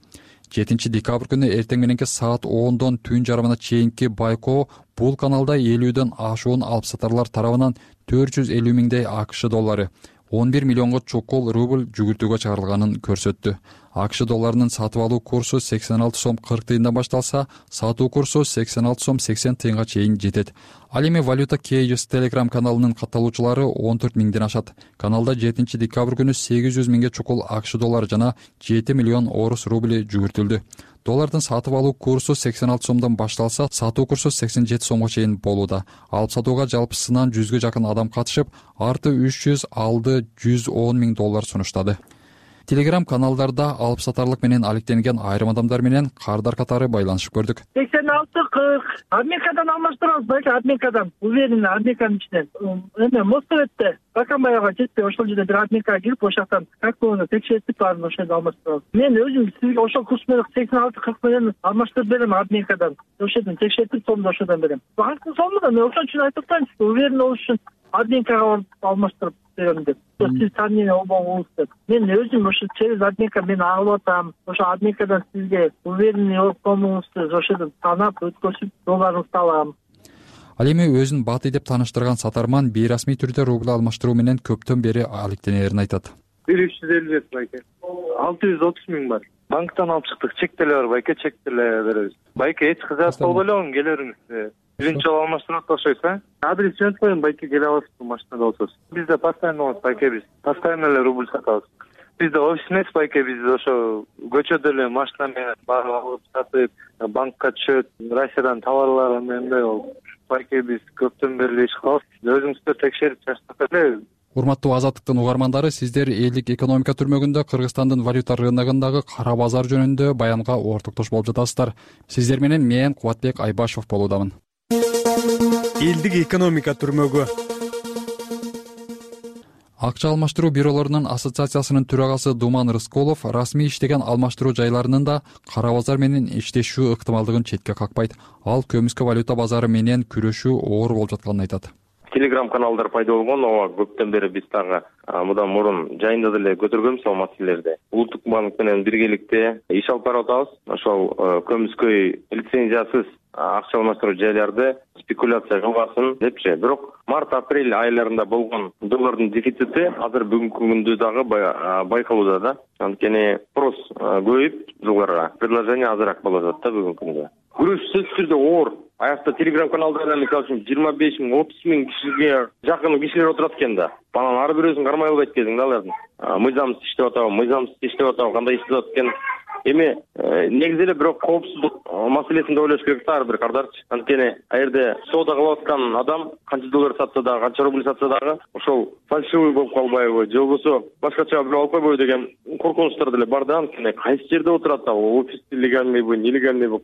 жетинчи декабрь күнү эртең мененки саат ондон түн жарымына чейинки байкоо бул каналда элүүдөн ашуун алып сатарлар тарабынан төрт жүз элүү миңдей АКШ доллары, он бир миллионго чукул рубль жүгүртүүгө чыгарылганын көрсөттү. АКШ долларынын сатып алуу курсу сексен алты сом кырк тыйындан башталса, сатуу курсу сексен алты сом сексен тыйынга чейин жетет. Ал эми Valuta Cages Telegram каналынын катталуучулары он төрт миңден ашат. Каналда жетинчи декабрь күнү сегиз жүз миңге чукул АКШ доллары жана жети миллион орус рубли жүгүртүлдү. Доллардын сатып алуу курсу сексен алты сомдон башталса, сатуу курсу сексен жети сомго чейин болууда. Алып сатууга жалпысынан жүзгө жакын адам катышып, арты үч жүз, алды жүз он миң доллар сунуштады. Телеграм каналдарда алып сатарлык менен алектенген айрым адамдар менен кардар катары байланышып көрдүк. сексен алты кырк Америкадан алмаштырабыз, байке Америкадан, уверенно Американын ичинен. Эме Москваде Бакамбаяга жетпей ошол жерде бир Америкага кирип, ошоктан картаны текшертип баарын ошол жерде алмаштырабыз. Мен өзүм сизге ошол курс менен сексен алты кырк менен алмаштырып берем Америкадан. Ошол жерден текшертип, сомду ошодон берем. Банктын сому да мен ошон үчүн айтып атам, уверенно болуш үчүн Америкага барып алмаштырып берем деп. Сиз сомнение болбоңуз деп. Мен өзүм ошо через Америка мен алып атам. Ошо Америкадан сизге уверенный болуп колуңузду ошодон таанап өткөрүп долларыңызды алам. Ал эми өзүн баты деп тааныштырган сатарман бейрасмий түрдө рубль алмаштыруу менен көптөн бери алектенерин айтат. бир үч жүз элүү жети байке. алты жүз отуз миң бар. Банктан алып чыктык, чек деле бар байке, чек деле беребиз. Байке эч кызат болбой эле келериңиз. Биринчи жолу алмаштырып атпакчыбыз, а? Адрес жөнөтүп коеюн байке, келе аласыз машинада болсоңуз. Бизде постоянно болот байке, биз постоянно эле рубль сатабыз. Бизде офис эмес байке, биз ошо көчөдө эле машина менен барып алып сатып, банкка түшөт, Россиядан товарлар мындай болуп. Байке биз көптөн бери иш кылабыз. Өзүңүздөр текшерип чачтык эле. Урматтуу Азаттыктын угармандары, сиздер элдик экономика түрмөгүндө Кыргызстандын валюта рыногундагы кара базар жөнүндө баянга ортоктош болуп жатасыздар. Сиздер менен мен Кубатбек Айбашев болуудамын. Элдик экономика түрмөгү. Акча алмаштыруу бюролорунун ассоциациясынын төрагасы Думан Рысколов расмий иштеген алмаштыруу жайларынын да кара базар менен иштешүү ыктымалдыгын четке какпайт. Ал көмүскө валюта базары менен күрөшүү оор болуп жатканын айтат. Телеграм каналдар пайда болгон, ооба көптөн бери биз дагы мындан мурун жайында деле көтөргөнбүз ал маселелерди. Улуттук банк менен биргеликте иш алып барып атабыз. Ошол көмүскөй лицензиясыз акча алмаштыруу жайларды спекуляция кылбасын депчи. Бирок март-апрель айларында болгон доллардын дефицити азыр бүгүнкү күндө дагы байкалууда да. Анткени спрос көбөйүп жылдарга предложение азыраак болуп атат да бүгүнкү күндө. Күрөш сөзсүз түрдө оор. Аякта телеграм каналдарда мисалы үчүн жыйырма беш миң, отуз миң кишиге жакын кишилер отурат экен да. Анан ар бирөөсүн кармай албайт экенсиң да алардын. Мыйзамсыз иштеп атабы, мыйзамсыз иштеп атабы, кандай иштеп атат экен. Эми негизи эле бирок коопсуздук маселесин да ойлош керек да ар бир кардарчы. Анткени а жерде соода кылып аткан адам канча доллар сатса дагы, канча рубль сатса дагы ошол фальшивый болуп калбайбы, же болбосо башкача бирөө алып койбойбу деген коркунучтар деле бар да. Анткени кайсы жерде отурат ал офисте легальныйбы, нелегальныйбы.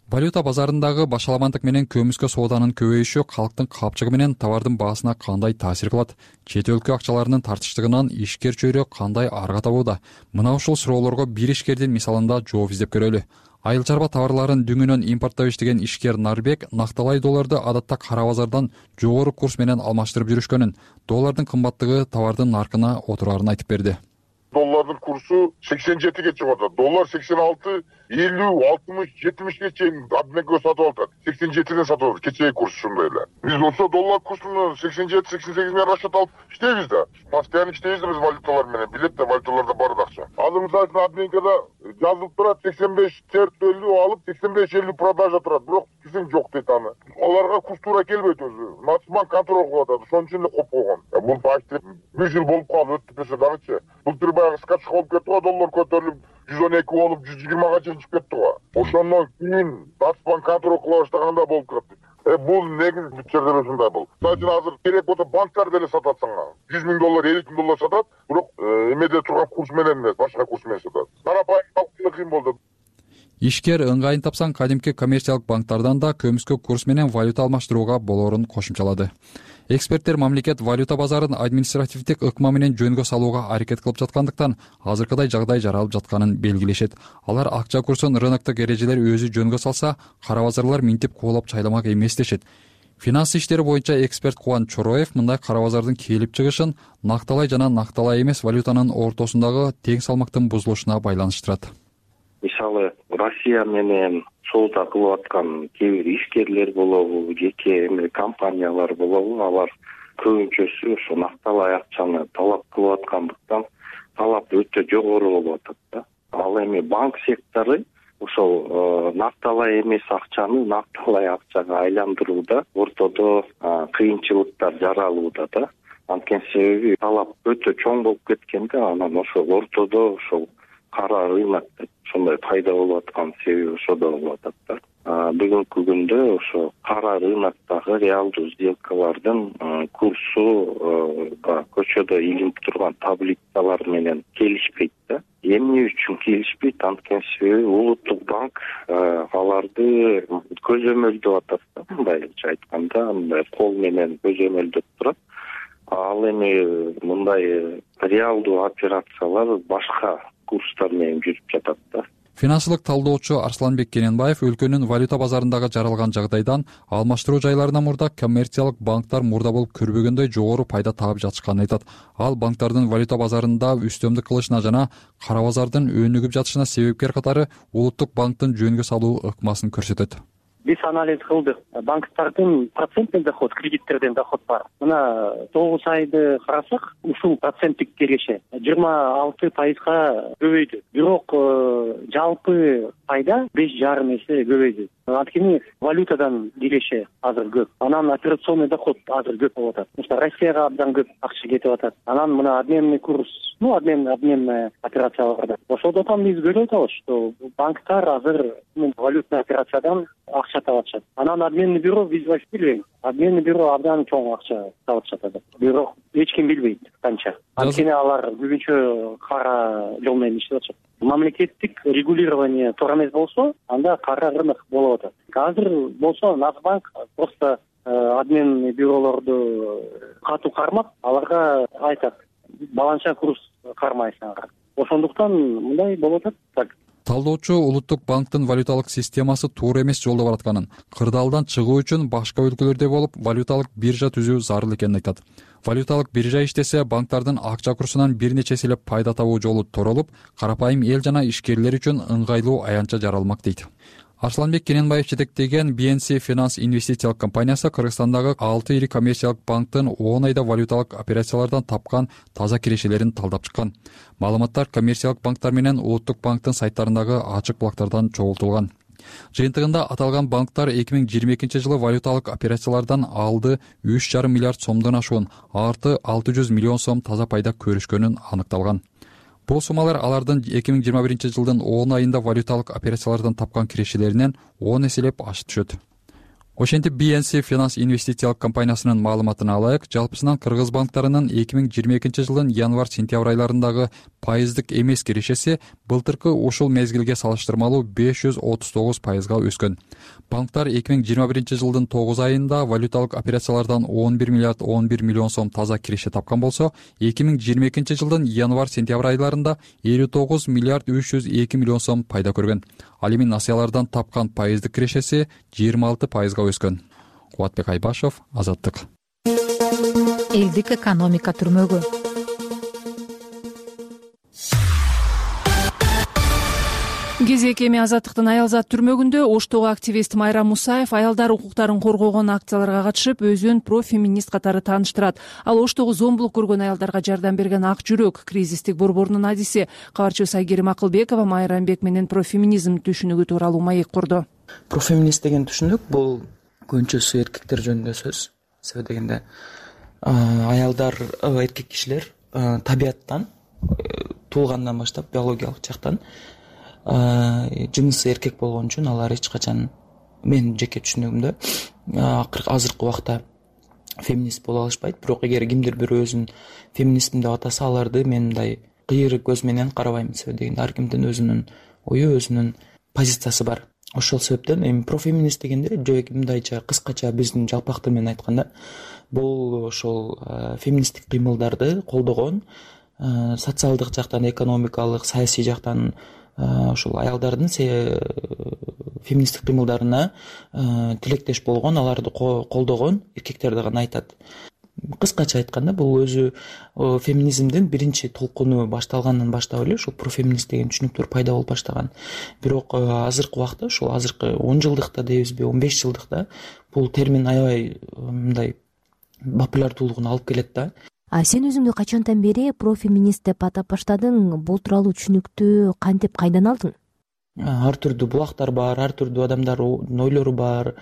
Валюта базарындагы башаламандык менен көмүскө сооданын көбөйүшү калктын капчыгы менен товардын баасына кандай таасир кылат? Чет өлкө акчаларынын тартыштыгынан ишкер чөйрө кандай арга табууда? Мына ушул суроолорго бир ишкердин мисалында жооп издеп көрөлү. Айыл чарба товарларын дүңүнөн импорттоп иштеген ишкер Нарбек накталай долларды адатта кара базардан жогору курс менен алмаштырып жүрүшкөнүн, доллардын кымбаттыгы товардын наркына отурарын айтып берди. Доллардын курсу сексен жетиге чыгып атат. Доллар сексен алты, элүү, алтымыш, жетимишке чейин обменге сатып атат. сексен жетиден сатып атат. Кечеги курс ушундай эле. Биз болсо доллар курсун сексен жети, сексен сегиз менен расчет алып иштейбиз да. Постоянно иштейбиз да биз валюталар менен. Билет да валюталарда бар акча. Азыр мисалы үчүн обменкада жазылып турат сексен беш элүү алып, сексен беш элүү продажа турат. Бирок кисим жок дейт аны. Аларга курс туура келбейт өзү. Нацбанк контроль кылып атат. Ошон үчүн эле коп койгон. Бул почти бир жыл болуп калды, өтүп кетсе дагычы. Бул баягы скачка болуп кетти го, доллар көтөрүлүп жүз он эки болуп жүз жыйырмага чейин чыгып кетти го. Ошондон кийин Нацбанк контроль кыла баштаганда болуп кетти. Э бул негизи бүчөрдөр ушундай бул. Мисалы үчүн азыр керек болсо банктар деле сатат сага. жүз миң доллар, элүү миң доллар сатат, бирок эмеде турган курс менен эмес, башка курс менен сатат. Карапайым калктын кыйын болду. Ишкер ыңгайын тапсаң кадимки коммерциялык банктардан да көмүскө курс менен валюта алмаштырууга болоорун кошумчалады. Эксперттер мамлекет валюта базарын административдик ыкма менен жөнгө салууга аракет кылып жаткандыктан азыркыдай жагдай жаралып жатканын белгилешет. Алар акча курсун рыноктук эрежелер өзү жөнгө салса, кара базарлар минтип куулап чайламак эмес дешет. Финанс иштери боюнча эксперт Кубан Чороев мындай кара базардын келип чыгышын накталай жана накталай эмес валютанын ортосундагы тең салмактын бузулушуна байланыштырат. Мисалы, Россия менен соода кылып аткан кээ бир ишкерлер болобу, жеке эме компаниялар болобу, алар көбүнчөсү ошо накталай акчаны талап кылып аткандыктан талап өтө жогору болуп атат да. Ал эми банк сектору ошол накталай эмес акчаны накталай акчага айландырууда ортодо кыйынчылыктар жаралууда да. Анткени себеби талап өтө чоң болуп кеткенде анан ошол ортодо ошол кара рынок ошондой пайда болуп аткан себеби ошодо болуп атат да. Бүгүнкү күндө ошо кара рыноктогу реалдуу сделкалардын курсу көчөдө илинип турган таблицалар менен келишпейт да. Эмне үчүн келишпейт? Анткени себеби улуттук банк аларды көзөмөлдөп атат да. Мындайча айтканда, мындай кол менен көзөмөлдөп турат. Ал эми мындай реалдуу операциялар башка курстар менен жүрүп жатат да. Финансылык талдоочу Арсланбек Кененбаев өлкөнүн валюта базарындагы жаралган жагдайдан алмаштыруу жайларына мурда коммерциялык банктар мурда болуп көрбөгөндөй жогору пайда таап жатышканын айтат. Ал банктардын валюта базарында үстөмдүк кылышына жана кара базардын өнүгүп жатышына себепкер катары улуттук банктын жөнгө салуу ыкмасын көрсөтөт. Биз анализ кылдык. Банктардын проценттен доход, кредиттерден доход бар. Мына тогуз айды карасак, ушул проценттик киреше жыйырма алты пайызга көбөйдү. Бирок жалпы пайда беш жарым эсе көбөйдү. Анткени валютадан киреше азыр көп. Анан операционный доход азыр көп болуп атат. Мисалы Россияга абдан көп акча кетип атат. Анан мына обменный курс, ну обмен обменная операцияларда. Ошондон биз көрүп атабыз, что банктар азыр валютный операциядан акча таап атышат. Анан обменный бюро биз вообще билбейбиз. Обменный бюро абдан чоң акча таап атышат. Бирок эч ким билбейт канча. Анткени алар көбүнчө кара жол менен иштеп атышат. Мамлекеттик регулирование туура эмес болсо, анда кара рынок болуп атат. Азыр болсо Нацбанк просто обменный бюролорду катуу кармап, аларга айтат: баланча курс кармайсың ага. Ошондуктан мындай болуп атат. Так талдоочу улуттук банктын валюталык системасы туура эмес жолдо баратканын, кырдаалдан чыгуу үчүн башка өлкөлөрдө болуп валюталык биржа түзүү зарыл экенин айтат. Валюталык биржа иштесе банктардын акча курсунан бир нече эселеп пайда табуу жолу торолуп, карапайым эл жана ишкерлер үчүн ыңгайлуу аянтча жаралмак дейт. Арсланбек Кененбаев жетектеген би эн си Finance инвестициялык компаниясы Кыргызстандагы алты ири коммерциялык банктын он айда валюталык операциялардан тапкан таза кирешелерин талдап чыккан. Маалыматтар коммерциялык банктар менен улуттук банктын сайттарындагы ачык булактардан чогултулган. Жыйынтыгында аталган банктар эки миң жыйырма экинчи жылы валюталык операциялардан алды үч жарым миллиард сомдон ашуун, арты алты жүз миллион сом таза пайда көрүшкөнүн аныкталган. Бул суммалар алардын эки миң жыйырма биринчи жылдын он айында валюталык операциялардан тапкан кирешелеринен он эселеп ашып түшөт. Ошентип би эн си Finance инвестициялык компаниясынын маалыматына алайык, жалпысынан кыргыз банктарынын эки миң жыйырма экинчи жылдын январь-сентябрь айларындагы пайыздык эмес кирешеси былтыркы ушул мезгилге салыштырмалуу беш жүз отуз тогуз пайызга өскөн. Банктар эки миң жыйырма биринчи жылдын тогуз айында валюталык операциялардан он бир миллиард он бир миллион сом таза киреше тапкан болсо, эки миң жыйырма экинчи жылдын январь-сентябрь айларында элүү тогуз миллиард үч жүз эки миллион сом пайда көргөн. Ал эми насыялардан тапкан пайыздык кирешеси жыйырма алты пайызга өскөн. Кубатбек Айбашев, Азаттык. Элдик экономика түрмөгү. Кезек эми Азаттыктын аялзат түрмөгүндө Оштогу активист Майра Мусаев аялдар укуктарын коргогон акцияларга катышып, өзүн профеминист катары тааныштырат. Ал Оштогу зомбулук көргөн аялдарга жардам берген ак жүрөк кризистик борборунун адиси. Кабарчыбыз Айгерим Акылбекова Майра Амбек менен профеминизм түшүнүгү тууралуу маек курду. Профеминист деген түшүнүк бул көбүнчөсү эркектер жөнүндө сөз. Себеби дегенде аялдар, эркек кишилер табияттан, туулгандан баштап биологиялык жактан жынысы эркек болгон үчүн алар эч качан, мен жеке түшүнүгүмдө, азыркы убакта феминист боло алышпайт. Бирок эгер кимдир бирөө өзүн феминистмин деп атаса, аларды мен мындай кыйыр көз менен карабайм. Себеби дегенде ар кимдин өзүнүн ою, өзүнүн позициясы бар. Ошол себептен эми профеминист дегенде мындайча кыскача биздин жалпак тил менен айтканда, бул ошол феминисттик кыймылдарды колдогон, социалдык жактан, экономикалык, саясий жактан ошол аялдардын феминисттик кыймылдарына тилектеш болгон, аларды колдогон эркектерди гана айтат. Кыскача айтканда, бул өзү феминизмдин биринчи толкуну башталгандан баштап эле ушул профеминист деген түшүнүктөр пайда болуп баштаган. Бирок азыркы убакта, ушул азыркы он жылдыкта дейбизби, он беш жылдыкта бул термин аябай мындай популярдуулугун алып келет да. А сен өзүңдү качантан бери профеминист деп атап баштадың? Бул тууралуу түшүнүктү кантип, кайдан алдың? Ар түрдүү булактар бар, ар түрдүү адамдардын ойлору бар.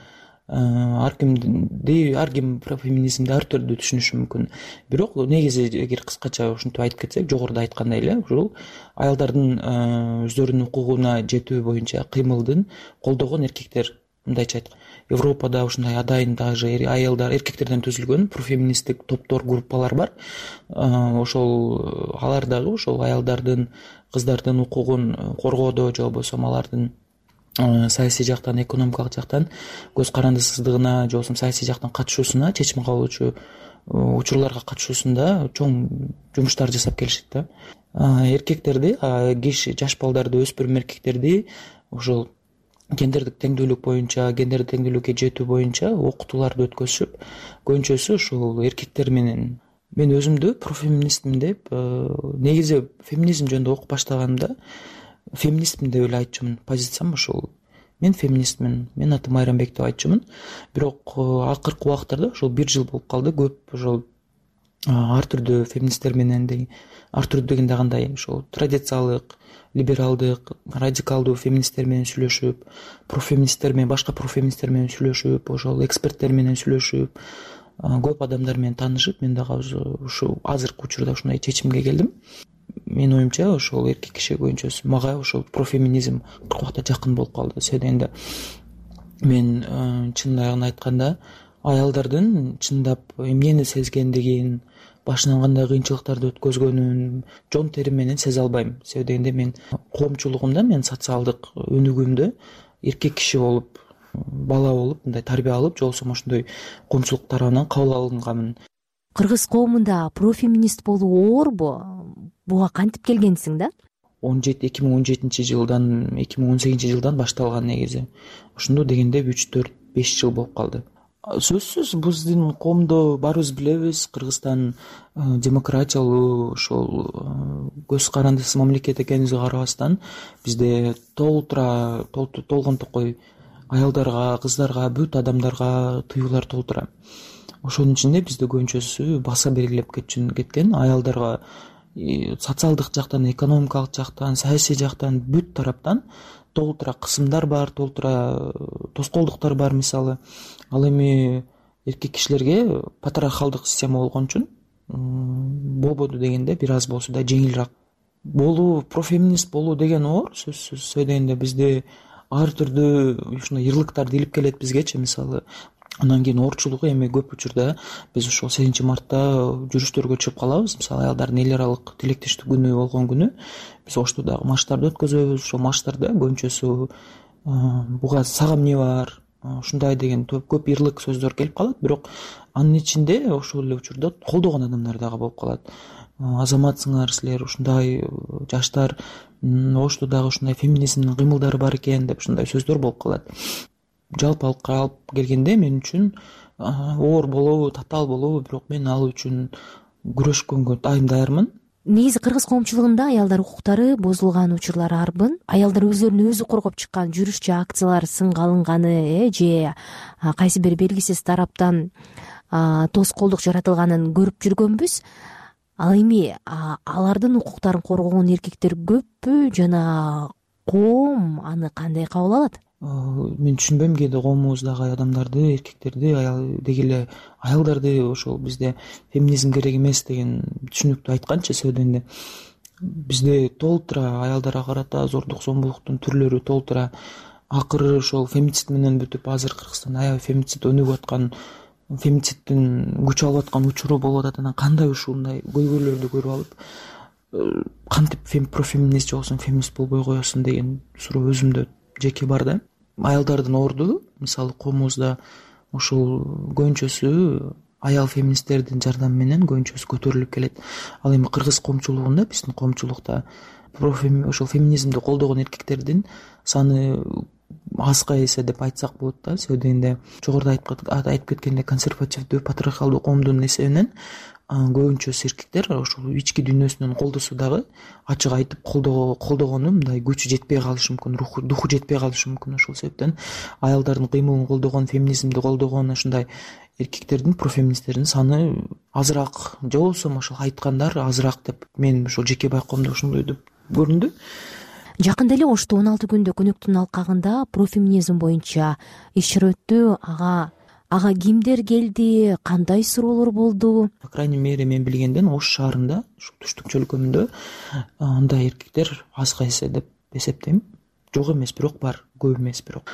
Ар кимди, ар ким профеминизмди ар түрдүү түшүнүшү мүмкүн. Бирок негизи эгер кыскача ушинтип айтып кетсек, жогоруда айткандай эле, ушул аялдардын өздөрүнүн укугуна жетүү боюнча кыймылдын колдогон эркектер, мындайча айтканда, Европада ушундай адайын даже аялдар, эркектерден түзүлгөн профеминисттик топтор, группалар бар. Ошол алар дагы ошол аялдардын, кыздардын укугун коргоодо, же болбосо алардын саясий жактан, экономикалык жактан көз карандысыздыгына, же болбосо саясий жактан катышуусуна, чечим кабыл алуучу учурларга катышуусунда чоң жумуштар жасап келишет да. Эркектерди, киши, жаш балдарды, өспүрүм эркектерди ошол гендердик теңдүүлүк боюнча, гендердик теңдүүлүккө жетүү боюнча окутууларды өткөзүшүп, көбүнчөсү ушул эркектер менен. Мен өзүмдү профеминистмин деп, негизи феминизм жөнүндө окуп баштаганымда феминистмин деп эле айтчумун. Позициям ушул. Мен феминистмин, мен атым Майра Амбек деп айтчумун. Бирок акыркы убактарда ушул бир жыл болуп калды, көп ошол ар түрдүү феминисттер менен, ар түрдүү дегенде кандай, ошол традициялык, либералдык, радикалдуу феминисттер менен сүйлөшүп, профеминисттер менен, башка профеминисттер менен сүйлөшүп, ошол эксперттер менен сүйлөшүп, көп адамдар менен таанышып, мен дагы ушул азыркы учурда ушундай чечимге келдим. Менин оюмча, ошол эркек киши көбүнчөсү мага ошол профеминизм убакта жакын болуп калды. Себеби дегенде мен чындыгын айтканда, аялдардын чындап эмнени сезгендигин, башынан кандай кыйынчылыктарды өткөзгөнүн жон терим менен сезе албайм. Себеби дегенде мен коомчулугумда, мен социалдык өнүгүүмдө эркек киши болуп, бала болуп, мындай тарбия алып, же болбосо ошондой коомчулук тарабынан кабыл алынганмын. кыргыз коомунда профеминист болуу оорбу? Буга кантип келгенсиң да? он жети эки миң он жетинчи жылдан эки миң он сегизинчи жылдан башталган негизи. Ошондо дегенде үч төрт беш жыл болуп калды. Сөзсүз биздин коомдо баарыбыз билебиз, Кыргызстан демократиялуу ошол көз карандысыз мамлекет экенибизге карабастан бизде толтура толгон токой аялдарга, кыздарга, бүт адамдарга тыюулар толтура. Ошонун ичинде бизде көбүнчөсү баса белгилеп кеткен аялдарга социалдык жактан, экономикалык жактан, саясий жактан бүт тараптан толтура кысымдар бар, толтура тоскоолдуктар бар. Мисалы, ал эми эркек кишилерге патриархалдык система болгон үчүн болбоду дегенде бир аз болсо да жеңилирээк. Болуу, профеминист болуу деген оор. Сөзсүз сөйдөгөндө бизде ар түрдүү ушундай ырлыктарды илип келет бизгечи. Мисалы, андан кийин оорчулугу эми көп учурда биз ошол сегизинчи мартта жүрүштөргө чыгып калабыз. Мисалы, аялдардын эл аралык тилектештик күнү болгон күнү биз ошто дагы марштарды өткөзөбүз. Ошол марштарда көбүнчөсү буга сага эмне бар, ушундай деген көп ырлык сөздөр келип калат. Бирок анын ичинде ошол эле учурда колдогон адамдар дагы болуп калат. Азаматсыңар силер, ушундай жаштар, ошто дагы ушундай феминизмдин кыймылдары бар экен деп ушундай сөздөр болуп калат. Жалпы алып келгенде мен үчүн оор болобу, татаал болобу, бирок мен ал үчүн күрөшкөнгө дайым даярмын. Негизи кыргыз коомчулугунда аялдар укуктары бузулган учурлар арбын. Аялдар өздөрүн өзү коргоп чыккан жүрүш же акциялар сынга алынганы, э же кайсы бир белгисиз тараптан тоскоолдук жаратылганын көрүп жүргөнбүз. Ал эми алардын укуктарын коргогон эркектер көппү жана коом аны кандай кабыл алат? Мен түшүнбөйм кээде коомубуздагы адамдарды, эркектерди, аял деги эле аялдарды ошол бизде феминизм керек эмес деген түшүнүктү айтканчы сөйдөгөндө. Бизде толтура аялдарга карата зордук зомбулуктун түрлөрү толтура. Акыры ошол фемицид менен бүтүп, азыр Кыргызстанда аябай фемицид өнүгүп аткан, фемициддин күч алып аткан учуру болуп атат. Анан кандай ушундай көйгөйлөрдү көрүп алып, кантип профеминист же болбосо феминист болбой коесуң деген суроо өзүмдө жеке бар да. Аялдардын орду, мисалы, коомубузда ушул көбүнчөсү аял феминисттердин жардамы менен көбүнчөсү көтөрүлүп келет. Ал эми кыргыз коомчулугунда, биздин коомчулукта ошол феминизмди колдогон эркектердин саны азга эсе деп айтсак болот да. Сөйдөгөндө жогоруда айтып кеткендей консервативдүү патриархалдуу коомдун эсебинен көбүнчөсү эркектер ошол ички дүйнөсүнөн колдосо дагы ачык айтып колдогону мындай күчү жетпей калышы мүмкүн, духу жетпей калышы мүмкүн. Ошол себептен аялдардын кыймылын колдогон, феминизмди колдогон ушундай эркектердин, профеминисттердин саны азыраак, же болбосо ошол айткандар азыраак деп мен ошол жеке байкоомдо ошондой деп көрүндү. Жакында эле Ошто он алты күндүк өнөктүн алкагында профеминизм боюнча иш чара өттү. Ага Ага кимдер келди, кандай суроолор болду? По крайней мере, мен билгенден Ош шаарында, ушул туштук чөлкөмүндө андай эркектер азга эсе деп эсептейм. Жок эмес, бирок бар, көп эмес бирок.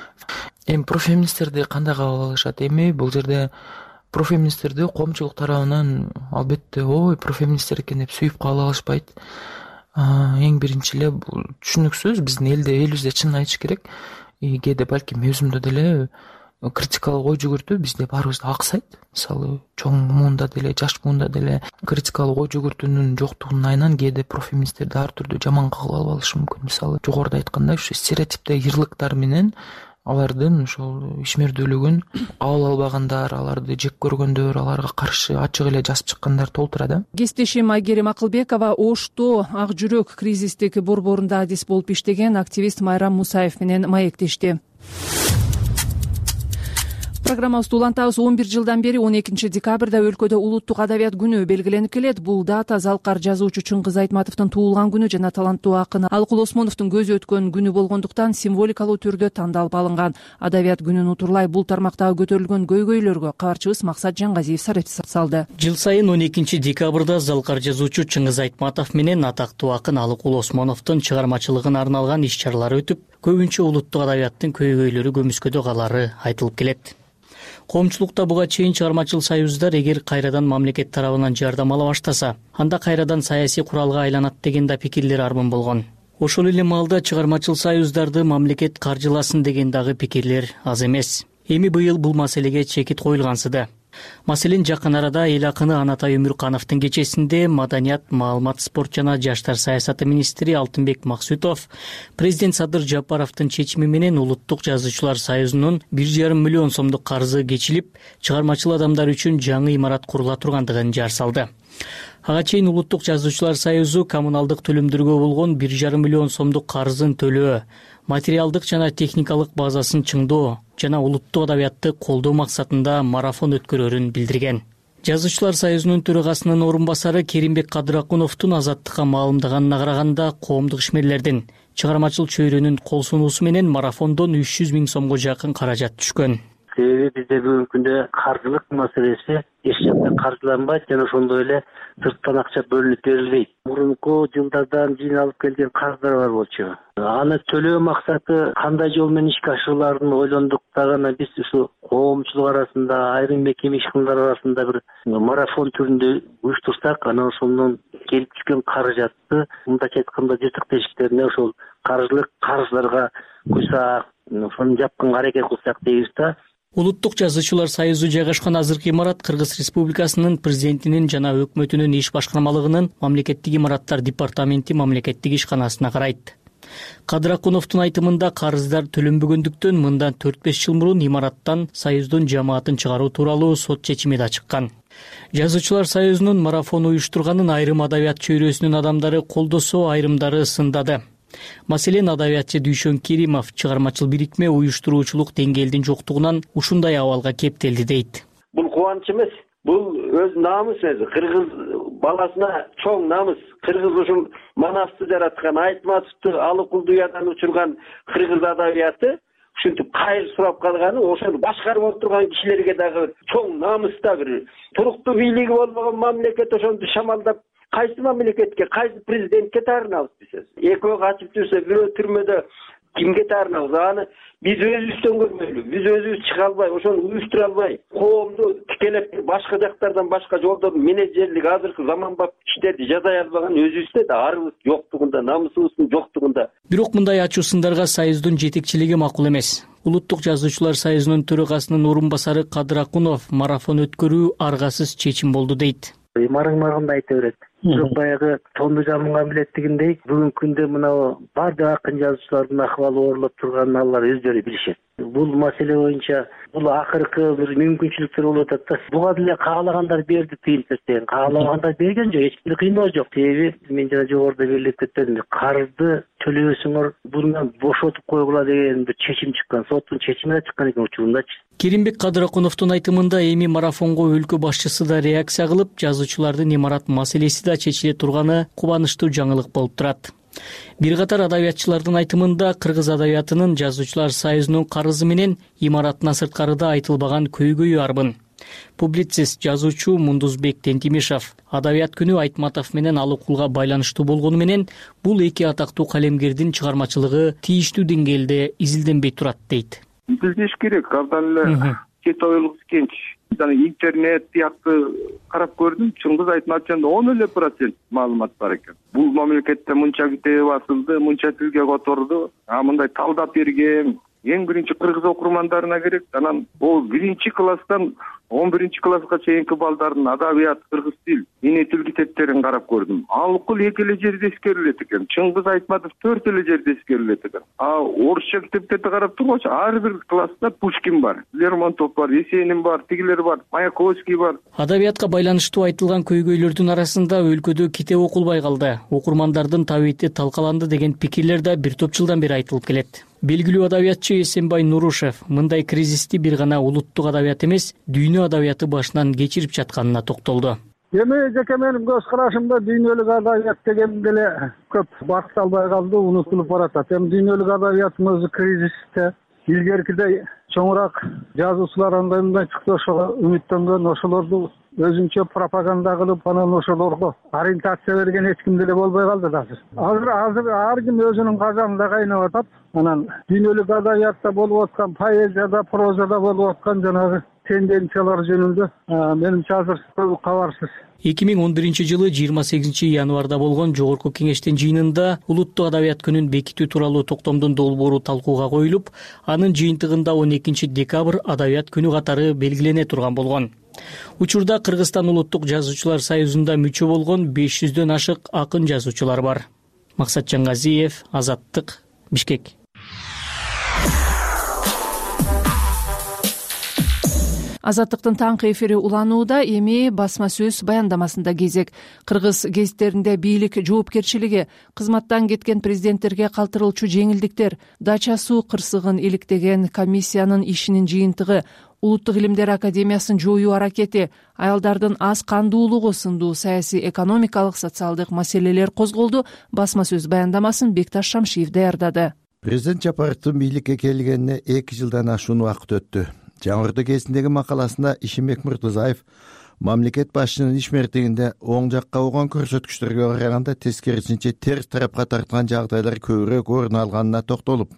Эми профеминисттерди кандай кабыл алышат? Эми бул жерде профеминисттерди коомчулук тарабынан албетте ой профеминисттер экен деп сүйүп кабыл алышпайт. Эң биринчи эле бул түшүнүксүз. Биздин элде элибизде чынын айтыш керек. Кээде балким өзүмдө деле критикалык ой жүгүртүү бизде баарыбызда аксайт. Мисалы, чоң муунда деле, жаш муунда деле критикалык ой жүгүртүүнүн жоктугунун айынан кээде профеминисттерди ар түрдүү жаман кабыл алып алышы мүмкүн. Мисалы, жогоруда айткандай, ушу стереотиптеги ырлыктар менен алардын ошол ишмердүүлүгүн кабыл албагандар, аларды жек көргөндөр, аларга каршы ачык эле жазып чыккандар толтура да. Кесиптешим Айгерим Акылбекова Ошто ак жүрөк кризистик борборунда адис болуп иштеген активист Майрам Мусаев менен маектешти. Программабызды улантабыз. он бир жылдан бери он экинчи декабрда өлкөдө улуттук адабият күнү белгиленип келет. Бул дата залкар жазуучу Чыңгыз Айтматовдун туулган күнү жана таланттуу акын Алыкул Осмоновдун көзү өткөн күнү болгондуктан символикалуу түрдө тандалып алынган. Адабият күнүн утурлай бул тармактагы көтөрүлгөн көйгөйлөргө кабарчыбыз Максат Жангазиев сарып салды. Жыл сайын он экинчи декабрда залкар жазуучу Чыңгыз Айтматов менен атактуу акын Алыкул Осмоновдун чыгармачылыгына арналган иш-чаралар өтүп, көбүнчө улуттук адабияттын көйгөйлөрү көмүскөдө калары айтылып келет. Коомчулукта буга чейин чыгармачыл союздар эгер кайрадан мамлекет тарабынан жардам ала баштаса, анда кайрадан саясий куралга айланат деген да пикирлер армын болгон. Ошол эле маалда чыгармачыл союздарды мамлекет каржыласын деген дагы пикирлер аз эмес. Эми быйыл бул маселеге чекит коюлгансыды. Маселен, жакын арада эл акыны Анатай Өмүркановдун кечесинде Маданият, маалымат, спорт жана жаштар саясаты министри Алтынбек Максутов президент Садыр Жапаровдун чечими менен Улуттук жазуучулар союзунун бир жарым миллион сомдук карзы кечилип, чыгармачыл адамдар үчүн жаңы имарат курула тургандыгын жар салды. Ага чейин Улуттук жазуучулар союзу коммуналдык төлөмдөргө болгон бир жарым миллион сомдук карзын төлөө, материалдык жана техникалык базасын чыңдоо жана улуттук адабиятты колдоо максатында марафон өткөрөрүн билдирген. Жазуучулар союзунун төрагасынын орун басары Керимбек Кадыракуновдун азаттыкка маалымдаганына караганда, коомдук ишмерлердин чыгармачыл чөйрөнүн кол сунуусу менен марафондон үч жүз миң сомго жакын каражат түшкөн. Себеби бизде бүгүнкү күндө каржылык маселеси эч жакта каржыланбайт жана ошондой эле сырттан акча бөлүнүп берилбейт. Мурунку жылдардан жыйналып келген карыздар бар болчу. Аны төлөө максаты кандай жол менен ишке ашырыларын ойлондук дагы анан биз ушу коомчулук арасында, айрым мекеме ишканалар арасында бир марафон түрүндө уюштурсак, анан ошондон келип түшкөн каражатты мындайча айтканда жыртык тешиктерине ошол каржылык карыздарга куйсак, ошону жапканга аракет кылсак дейбиз да. Улуттук жазуучулар союзу жайгашкан азыркы имарат Кыргыз Республикасынын президентинин жана өкмөтүнүн иш башкармалыгынын мамлекеттик имараттар департаменти мамлекеттик ишканасына карайт. Кадыракуновдун айтымында карыздар төлөнбөгөндүктөн мындан төрт беш жыл мурун имараттан союздун жамаатын чыгаруу тууралуу сот чечими да чыккан. Жазуучулар союзунун марафон уюштурганын айрым адабият чөйрөсүнүн адамдары колдосо, айрымдары сындады. Маселен, адабиятчы Дүйшөн Керимов чыгармачыл бирикме уюштуруучулук деңгээлдин жоктугунан ушундай абалга кептелди дейт. Бул кубаныч эмес, бул өз намыс өзү. Кыргыз баласына чоң намыс. Кыргыз ушул Манасты жараткан, Айтматовду Алыкулду уядан учурган кыргыз адабияты ушинтип кайыр сурап калганы, ошону башкарып отурган кишилерге дагы чоң намыс да бир туруктуу бийлиги болбогон мамлекет ошону шамалдап кайсы мамлекетке, кайсы президентке таарынабыз биз? Экөө качып жүрсө, бирөө түрмөдө кимге таарынабыз? Аны биз өзүбүздөн көрмөйлү, биз өзүбүз чыга албай, ошону уюштура албай, коомду тикелеп башка жактардан башка жолдон менеджерлик азыркы заманбап иштерди жасай албаган өзүбүздө да арыбыз жоктугунда, намысыбыздын жоктугунда. Бирок мындай ачуу сындарга союздун жетекчилиги макул эмес. Улуттук жазуучулар союзунун төрагасынын орун басары Кадыракунов марафон өткөрүү аргасыз чечим болду дейт. Марың-марыңды айта берет. Бирок баягы тонду жамынган билеттигиндей, бүгүнкү күндө мына бардык акын жазуучулардын акыбалы оорлоп турганын алар өздөрү билишет. Бул маселе боюнча бул акыркы бир мүмкүнчүлүктөр болуп атат да. Буга деле каалагандар берди тыйын тастайын. Каалагандар берген жок, эч бир кыйноо жок. Себеби мен жана жогоруда белгилеп кеткендей, карызды төлөбөсөңөр bundan бошотуп койгула деген бир чечим чыккан, соттун чечими да чыккан экен учурундачы. Керимбек Кадыракуновдун айтымында эми марафонго өлкө башчысы да реакция кылып, жазуучулардын имарат маселеси да чечиле турганы кубанычтуу жаңылык болуп турат. Бир катар адабиятчылардын айтымында кыргыз адабиятынын жазуучулар союзунун карызы менен имараттын сырткарыда айтылбаган көйгөйү арбын. Публицист, жазуучу Мундузбек Тентимишев адабият күнү Айтматов менен Алыкулга байланыштуу болгону менен бул эки атактуу калемгердин чыгармачылыгы тийиштүү деңгээлде изилденбей турат дейт. Билдеш керек, абдан эле кет ойлук кенч. Жана интернет сыяктуу карап көрдүм, Чыңгыз Айтматовдон он эле процент маалымат бар экен. Бул мамлекетте мынча китеби басылды, мынча тилге которду, а мындай талдап берген эң биринчи кыргыз окурмандарына керек. Анан ол биринчи класстан он биринчи класска чейинки балдардын адабият, кыргыз тил, эне тил китептерин карап көрдүм. Алыкул эки эле жерде эскерилет экен. Чыңгыз Айтматов төрт эле жерде эскерилет экен. А орусча китептерди карап тургучу ар бир класста Пушкин бар, Лермонтов бар, Есенин бар, тигилер бар, Маяковский бар. Адабиятка байланыштуу айтылган көйгөйлөрдүн арасында өлкөдө китеп окулбай калды, окурмандардын табити талкаланды деген пикирлер да бир топ жылдан бери айтылып келет. Белгилүү адабиятчы Эсенбай Нурушев мындай кризисти бир гана улуттук адабият эмес, дүйнө адабияты башынан кечирип жатканына токтолду. Эми жеке менин көз карашымда дүйнөлүк адабият деген деле көп багыт албай калды, унутулуп баратат. Эми дүйнөлүк адабияттын өзү кризисте. Илгеркидей чоңураак жазуучулар андай мындай чыкты, ошого үмүттөнгөн, ошолорду өзүнчө пропаганда кылып, анан ошолорго ориентация берген эч ким деле болбой калды да азыр. Азыр азыр ар ким өзүнүн казанында кайнап атат. Анан дүйнөлүк адабиятта болуп аткан, поэзияда, прозада болуп аткан жанагы тенденциялар жөнүндө менимче азыр кабарсыз. эки миң он биринчи жылы жыйырма сегизинчи январда болгон Жогорку Кеңештин жыйынында улуттук адабият күнүн бекитүү тууралуу токтомдун долбоору талкууга коюлуп, анын жыйынтыгында он экинчи декабрь адабият күнү катары белгилене турган болгон. Учурда Кыргызстан улуттук жазуучулар союзунда мүчө болгон беш жүздөн ашык акын жазуучулар бар. Максатжан Газиев, Азаттык, Бишкек. Азаттыктын таңкы эфири уланууда. Эми басма сөз баяндамасында кезек. Кыргыз гезиттеринде бийлик жоопкерчилиги, кызматтан кеткен президенттерге калтырылчу жеңилдиктер, дача суу кырсыгын иликтеген комиссиянын ишинин жыйынтыгы, Улуттук илимдер академиясын жоюу аракети, аялдардын аз кандуулугу сындуу саясий, экономикалык, социалдык маселелер козголду. Басма сөз баяндамасын Бекташ Шамшиев даярдады. Президент Жапаровдун бийликке келгенине эки жылдан ашуун убакыт өттү. Жаңырды кезиндеги макаласында Ишимбек Муртазаев мамлекет башчынын ишмердигинде оң жакка болгон көрсөткүчтөргө караганда тескерисинче терс тарапка тарткан жагдайлар көбүрөөк орун алганына токтолуп,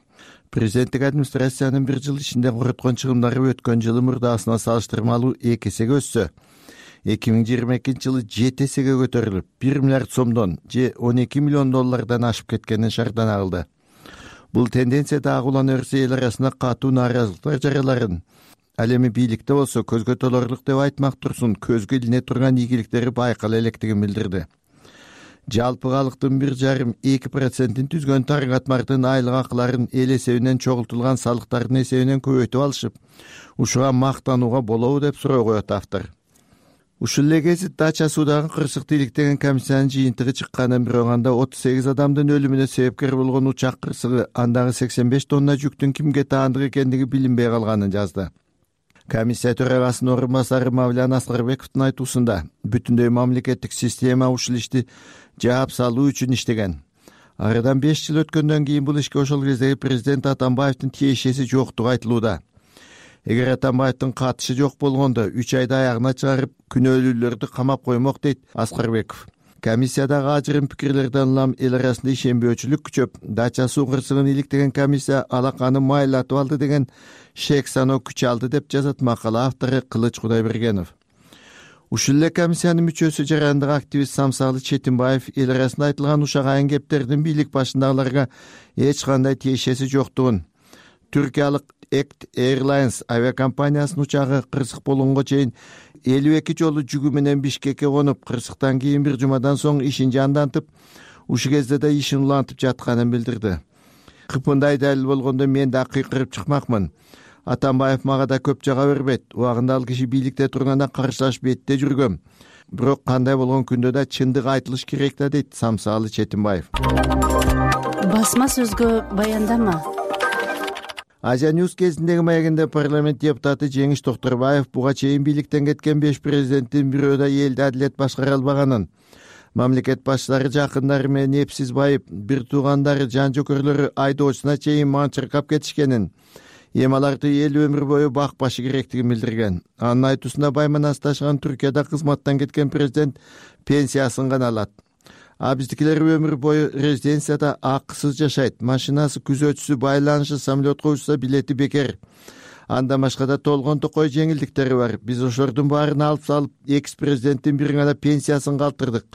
президенттик администрациянын бир жыл ичинде короткон чыгымдары өткөн жылы мурдасына салыштырмалуу эки эсеге өссө, эки миң жыйырма экинчи жылы жети эсеге көтөрүлүп, бир миллиард сомдон же он эки миллион доллардан ашып кеткенин шардан агылды. Бул тенденция дагы улана берсе, эл арасында катуу нааразылыктар жарыяларын, ал эми бийликте болсо көзгө толорлук деп айтмак турсун, көзгө илине турган ийгиликтери байкала электигин билдирди. Жалпы калктын бир жарым эки процентин түзгөн таргатмардын айлык акыларын эл эсебинен чогултулган салыктардын эсебинен көбөйтүп алышып, ушуга мактанууга болобу деп суроо коет автор. Ушул эле гезит дача суудагы кырсыкты иликтеген комиссиянын жыйынтыгы чыкканын бироганда отуз сегиз адамдын өлүмүнө себепкер болгон учак кырсыгы, андагы сексен беш тонна жүктүн кимге таандык экендиги билинбей калганын жазды. Комиссия төрагасынын орун басары Мавлян Аскарбековдун айтуусунда бүтүндөй мамлекеттик система ушул ишти жаап салуу үчүн иштеген. Арадан беш жыл өткөндөн кийин бул ишке ошол кездеги президент Атамбаевдин тиешеси жоктугу айтылууда. Эгер Атамбаевдин катышы жок болгондо үч айда аягына чыгарып, күнөөлүүлөрдү камап коймок, дейт Аскарбеков. Комиссиядагы ажырым пикирлерден улам эл арасында ишенбөөчүлүк күчөп, дача суу кырсыгын иликтеген комиссия алаканы майлатып алды деген шек саноо күч алды деп жазат макала автору Кылыч Кудайбергенов. Ушул эле комиссиянын мүчөсү жарандык активист Самсалы Четинбаев эл арасында айтылган ушак айын кептердин бийлик башындагыларга эч кандай тиешеси жоктугун, түркиялык Act Airlines авиакомпаниясынын учагы кырсык болгонго чейин элүү эки жолу жүгү менен Бишкекке конуп, кырсыктан кийин бир жумадан соң ишин жандантып, ушул кезде да ишин улантып жатканын билдирди. Кыпындай далил болгондо мен да кыйкырып чыкмакмын. Атамбаев мага да көп жага бербейт. Убагында ал киши бийликте турганда каршылаш бетте жүргөм. Бирок кандай болгон күндө да чындык айтылыш керек да, дейт Самсалы Четинбаев. Басма сөзгө баяндама. Азия Ньюс кезиндеги маегинде парламент депутаты Жеңиш Токторбаев буга чейин бийликтен кеткен беш президенттин бирөө да элди адилет башкара албаганын, мамлекет башчылары жакындары менен эпсиз байып, бир туугандары, жан жөкөрлөрү айдоочуна чейин манчыркап кетишкенин, эми аларды эл өмүр бою бакпашы керектигин билдирген. Анын айтуусунда байманасташкан Түркияда кызматтан кеткен президент пенсиясын гана алат. А биздикилер өмүр бою резиденцияда акысыз жашайт. Машинасы, күзөтчүсү, байланышы, самолетко учса билети бекер. Андан башка да толгон токой жеңилдиктери бар. Биз ошолордун баарын алып салып, экс-президенттин бир гана пенсиясын калтырдык.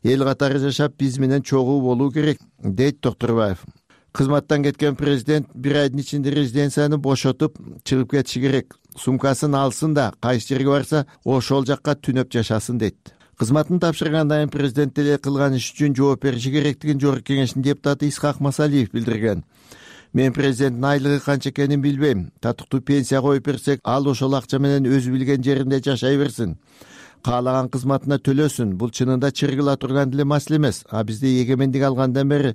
Эл катары жашап, биз менен чогуу болуу керек, дейт Токторбаев. Кызматтан кеткен президент бир айдын ичинде резиденцияны бошотуп, чыгып кетиши керек. Сумкасын алсын да, кайсы жерге барса, ошол жакка түнөп жашасын, дейт. Кызматын тапшыргандан кийин президент эле кылган иш үчүн жооп бериши керектигин Жогорку Кеңештин депутаты Исхак Масалиев билдирген. Мен президенттин айлыгы канча экенин билбейм. Татыктуу пенсия коюп берсек, ал ошол акча менен өзү билген жеринде жашай берсин. Каалаган кызматына төлөсүн. Бул чынында чыргыла турган деле маселе эмес. А бизде эгемендик алгандан бери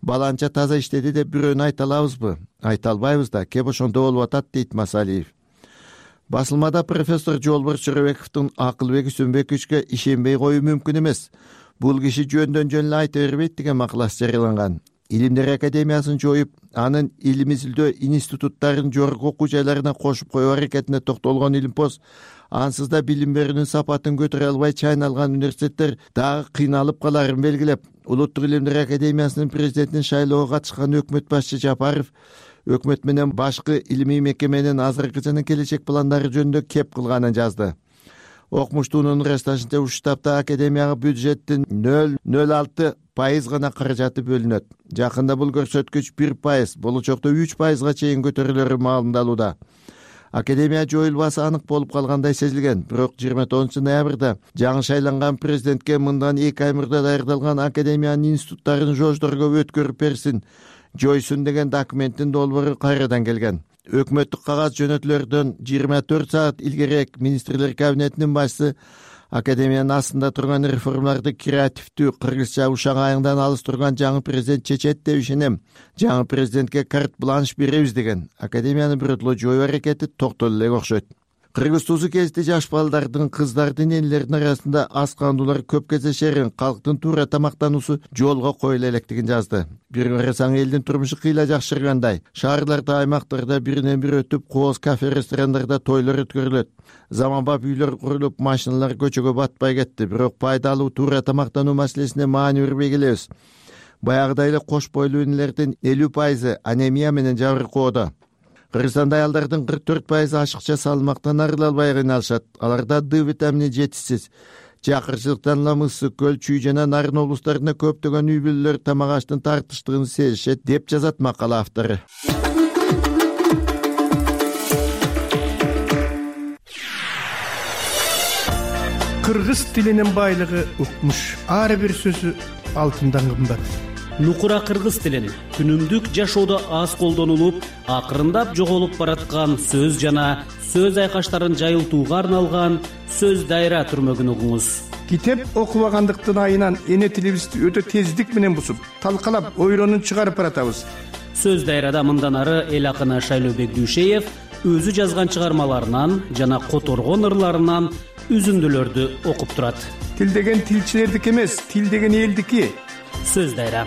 баланча таза иштеди деп бирөөнү айта алабызбы? Айта албайбыз да. Кеп ошондо болуп атат, дейт Масалиев. Басылмада профессор Жолборс Чоробековдун Акылбек Үсөнбековичке ишенбей коюу мүмкүн эмес. Бул киши жөндөн жөн эле айта бербейт деген макаласы жарыяланган. Илимдер академиясын жоюп, анын илим изилдөө институттарын жогорку окуу жайларына кошуп коюу аракетине токтолгон Илимпоз, ансыз да билим берүүнүн сапатын көтөрө албай чайналган университеттер дагы кыйналып каларын белгилеп, Улуттук илимдер академиясынын президентин шайлоого катышкан өкмөт башчы Жапаров өкмөт менен башкы илимий мекеменин азыркы жана келечек пландары жөнүндө кеп кылганын жазды. Окмуштуунун ырасташынча ушул таапта академияга бюджеттин нөл нөл алты пайыз гана каражаты бөлүнөт. Жакында бул көрсөткүч бир пайыз, болочокто үч пайызга чейин көтөрүлөрү маалымдалууда. академия жоюлбасы анык болуп калгандай сезилген. Бирок жыйырма тогузунчу ноябрда жаңы шайланган президентке мындан эки ай мурда даярдалган академиянын институттарын жоождорго өткөрүп берсин, жойсун деген документтин долбоору кайрадан келген. Өкмөттүк кагаз жөнөтүлөрдөн жыйырма төрт саат илгерээк министрлер кабинетинин башчысы академиянын астында турган реформаларды креативдүү, кыргызча ушак айыңдан алыс турган жаңы президент чечет деп ишенем. Жаңы президентке карт бланш беребиз деген. Академияны биротоло жоюу аракети токтоло элек окшойт. Кыргыз туузу кезде жаш балдардын, кыздардын, энелердин арасында ас кандуулар көп кездешерин, калктын туура тамактануусу жолго коюла электигин жазды. Бир карасаң элдин турмушу кыйла жакшыргандай. Шаарларда, аймактарда биринен бири өтүп, кооз кафе, ресторандарда тойлор өткөрүлөт. Заманбап үйлөр курулуп, машиналар көчөгө батпай кетти. Бирок пайдалуу туура тамактануу маселесине маани бербей келебиз. Баягыдай эле кош бойлуу энелердин элүү пайызы анемия менен жабыркоодо. Кыргызстанда аялдардын кырк төрт пайызы ашыкча салмактан арыла албай кыйналышат. Аларда Д витамини жетишсиз. Чакырчылыктан улам ысык көл, Чүй жана Нарын облустарында көптөгөн үй бүлөлөр тамак аштын тартыштыгын сезишет деп жазат макала автору. Кыргыз тилинин байлыгы укмуш. Ар бир сөзү алтындан кымбат. Нукура кыргыз тилин күнүмдүк жашоодо аз колдонулуп, акырындап жоголуп бараткан сөз жана сөз айкаштарын жайылтууга арналган сөз дайра түрмөгүн угуңуз. Китеп окубагандыктын айынан эне тилибизди өтө тездик менен бусуп, талкалап, ойронун чыгарып баратабыз. Сөз дайрада мындан ары эл акыны Шайлообек Дүйшеев өзү жазган чыгармаларынан жана которгон ырларынан үзүндүлөрдү окуп турат. Тил деген тилчилердики эмес, тил деген элдики. Сөз дайра.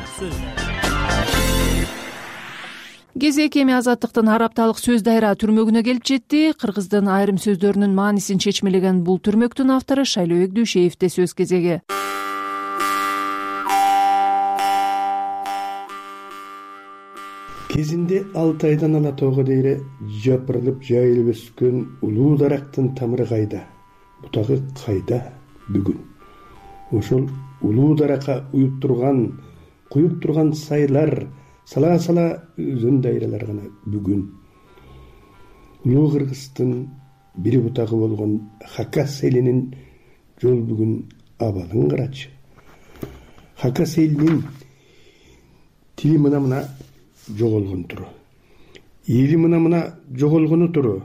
Кезек эми Азаттыктын ар апталык сөз дайра түрмөгүнө келип жетти. Кыргыздын айрым сөздөрүнүн маанисин чечмелеген бул түрмөктүн автору Шайлообек Дүйшеевде сөз кезеги. Кезинде алты айдан ала тоого дейре жапырылып жайылып өскөн улуу дарактын тамыры кайда? Бутагы кайда бүгүн? Ошол улуу даракка уюп турган, куюп турган сайлар, сала-сала өзөн дайралар гана бүгүн. Улуу Кыргыздын бири бутагы болгон Хакас элинин жол бүгүн абалын карачы. Хакас элинин тили мына-мына жоголгон туру. Эли мына-мына жоголгону туру.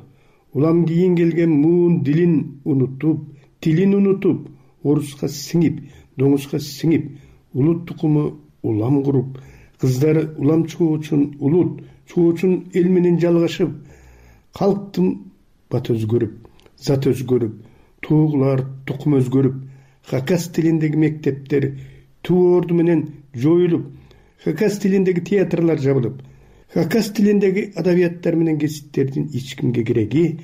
Улам кийин келген муун дилин унутуп, тилин унутуп, оруска сиңип, доңузга сиңип, улут тукуму улам куруп, кыздары улам чыгуу үчүн улут чыгуу үчүн эл менен жалгашып, калктын бат өзгөрүп, зат өзгөрүп, туугулар тукум өзгөрүп, Хакас тилиндеги мектептер туу орду менен жоюлуп, Хакас тилиндеги театрлар жабылып, Хакас тилиндеги адабияттар менен кесиптердин эч кимге кереги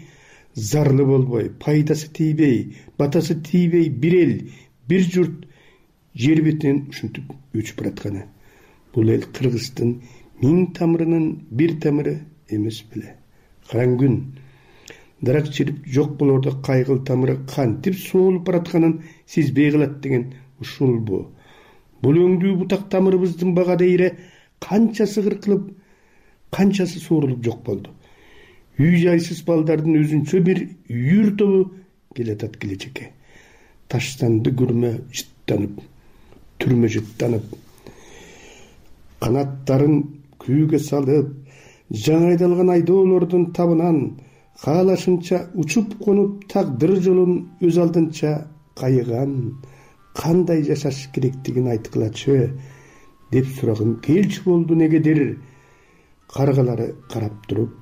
зарлы болбой, пайдасы тийбей, батасы тийбей бир эл, бир журт жер бетинен ушинтип өчүп баратканы. Бул эл Кыргыздын миң тамырынын бир тамыры эмес беле. Караң күн дарак чирип жок болордо кайгыл тамыры кантип соолуп баратканын сезбей калат деген ушулбу. Бул өңдүү бутак тамырыбыздын бага дейре канчасы кыркылып, канчасы суурулуп жок болду. Үй жайсыз балдардын өзүнчө бир үйүр тобу келатат келечекке. Таштанды күрмө жыттанып, түрмө жыттанып, канаттарын күүгө салып, жаңы айдалган айдоолордун табынан каалашынча учуп конуп тагдыр жолун өз алдынча кайыган, кандай жашаш керектигин айткылачы деп сурагым келчү болду негедир. Каргалары карап туруп,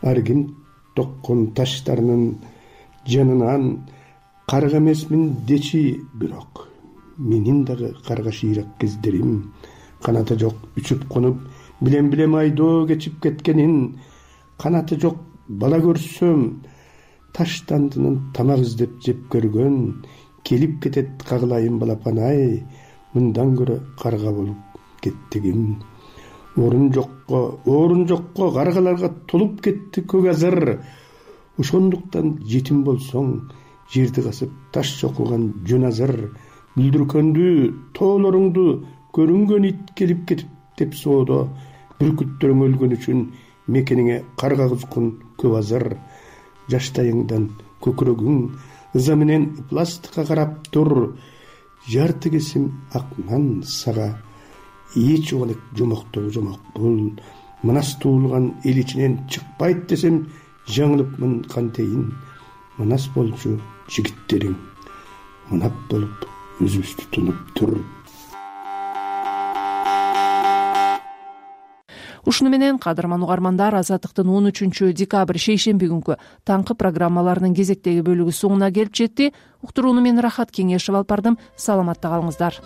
аргин токкон таштарынын жанынан карга эмесмин дечи, бирок менин дагы карга шыйрак кездерим, канаты жок үчүп конуп, билем-билем айдоо кечип кеткенин, канаты жок бала көрсөм, таштандынын тамак издеп жеп көргөн, келип кетет кагылайын балапан-ай, мындан көрө карга болуп кеттигим. Орун жокко, орун жокко каргаларга толуп кетти көк азыр. Ошондуктан жетим болсоң, жерди касып таш чокуган жөн азыр. Бүлдүркөндү, тоолоруңду көрүнгөн ит келип кетип деп соодо. Бүркүттөрүң өлгөн үчүн мекениңе карга кузгун көп азыр. жаштайыңдан көкүрөгүң ыза менен пластикка карап тур. Жарты кесим ак нан сага эч олек жомоктогу жомок бул. Манас туулган эл ичинен чыкпайт десем жаңылыпмын кантейин. Манас болчу жигиттериң мынап болуп өзүбүздү тунуп тур. Ушуну менен кадырман угармандар, Азаттыктын он үчүнчү декабрь шейшемби күнкү таңкы программаларынын кезектеги бөлүгү соңуна келип жетти. Уктурууну мен Рахат Кеңешев алып бардым. Саламатта калыңыздар.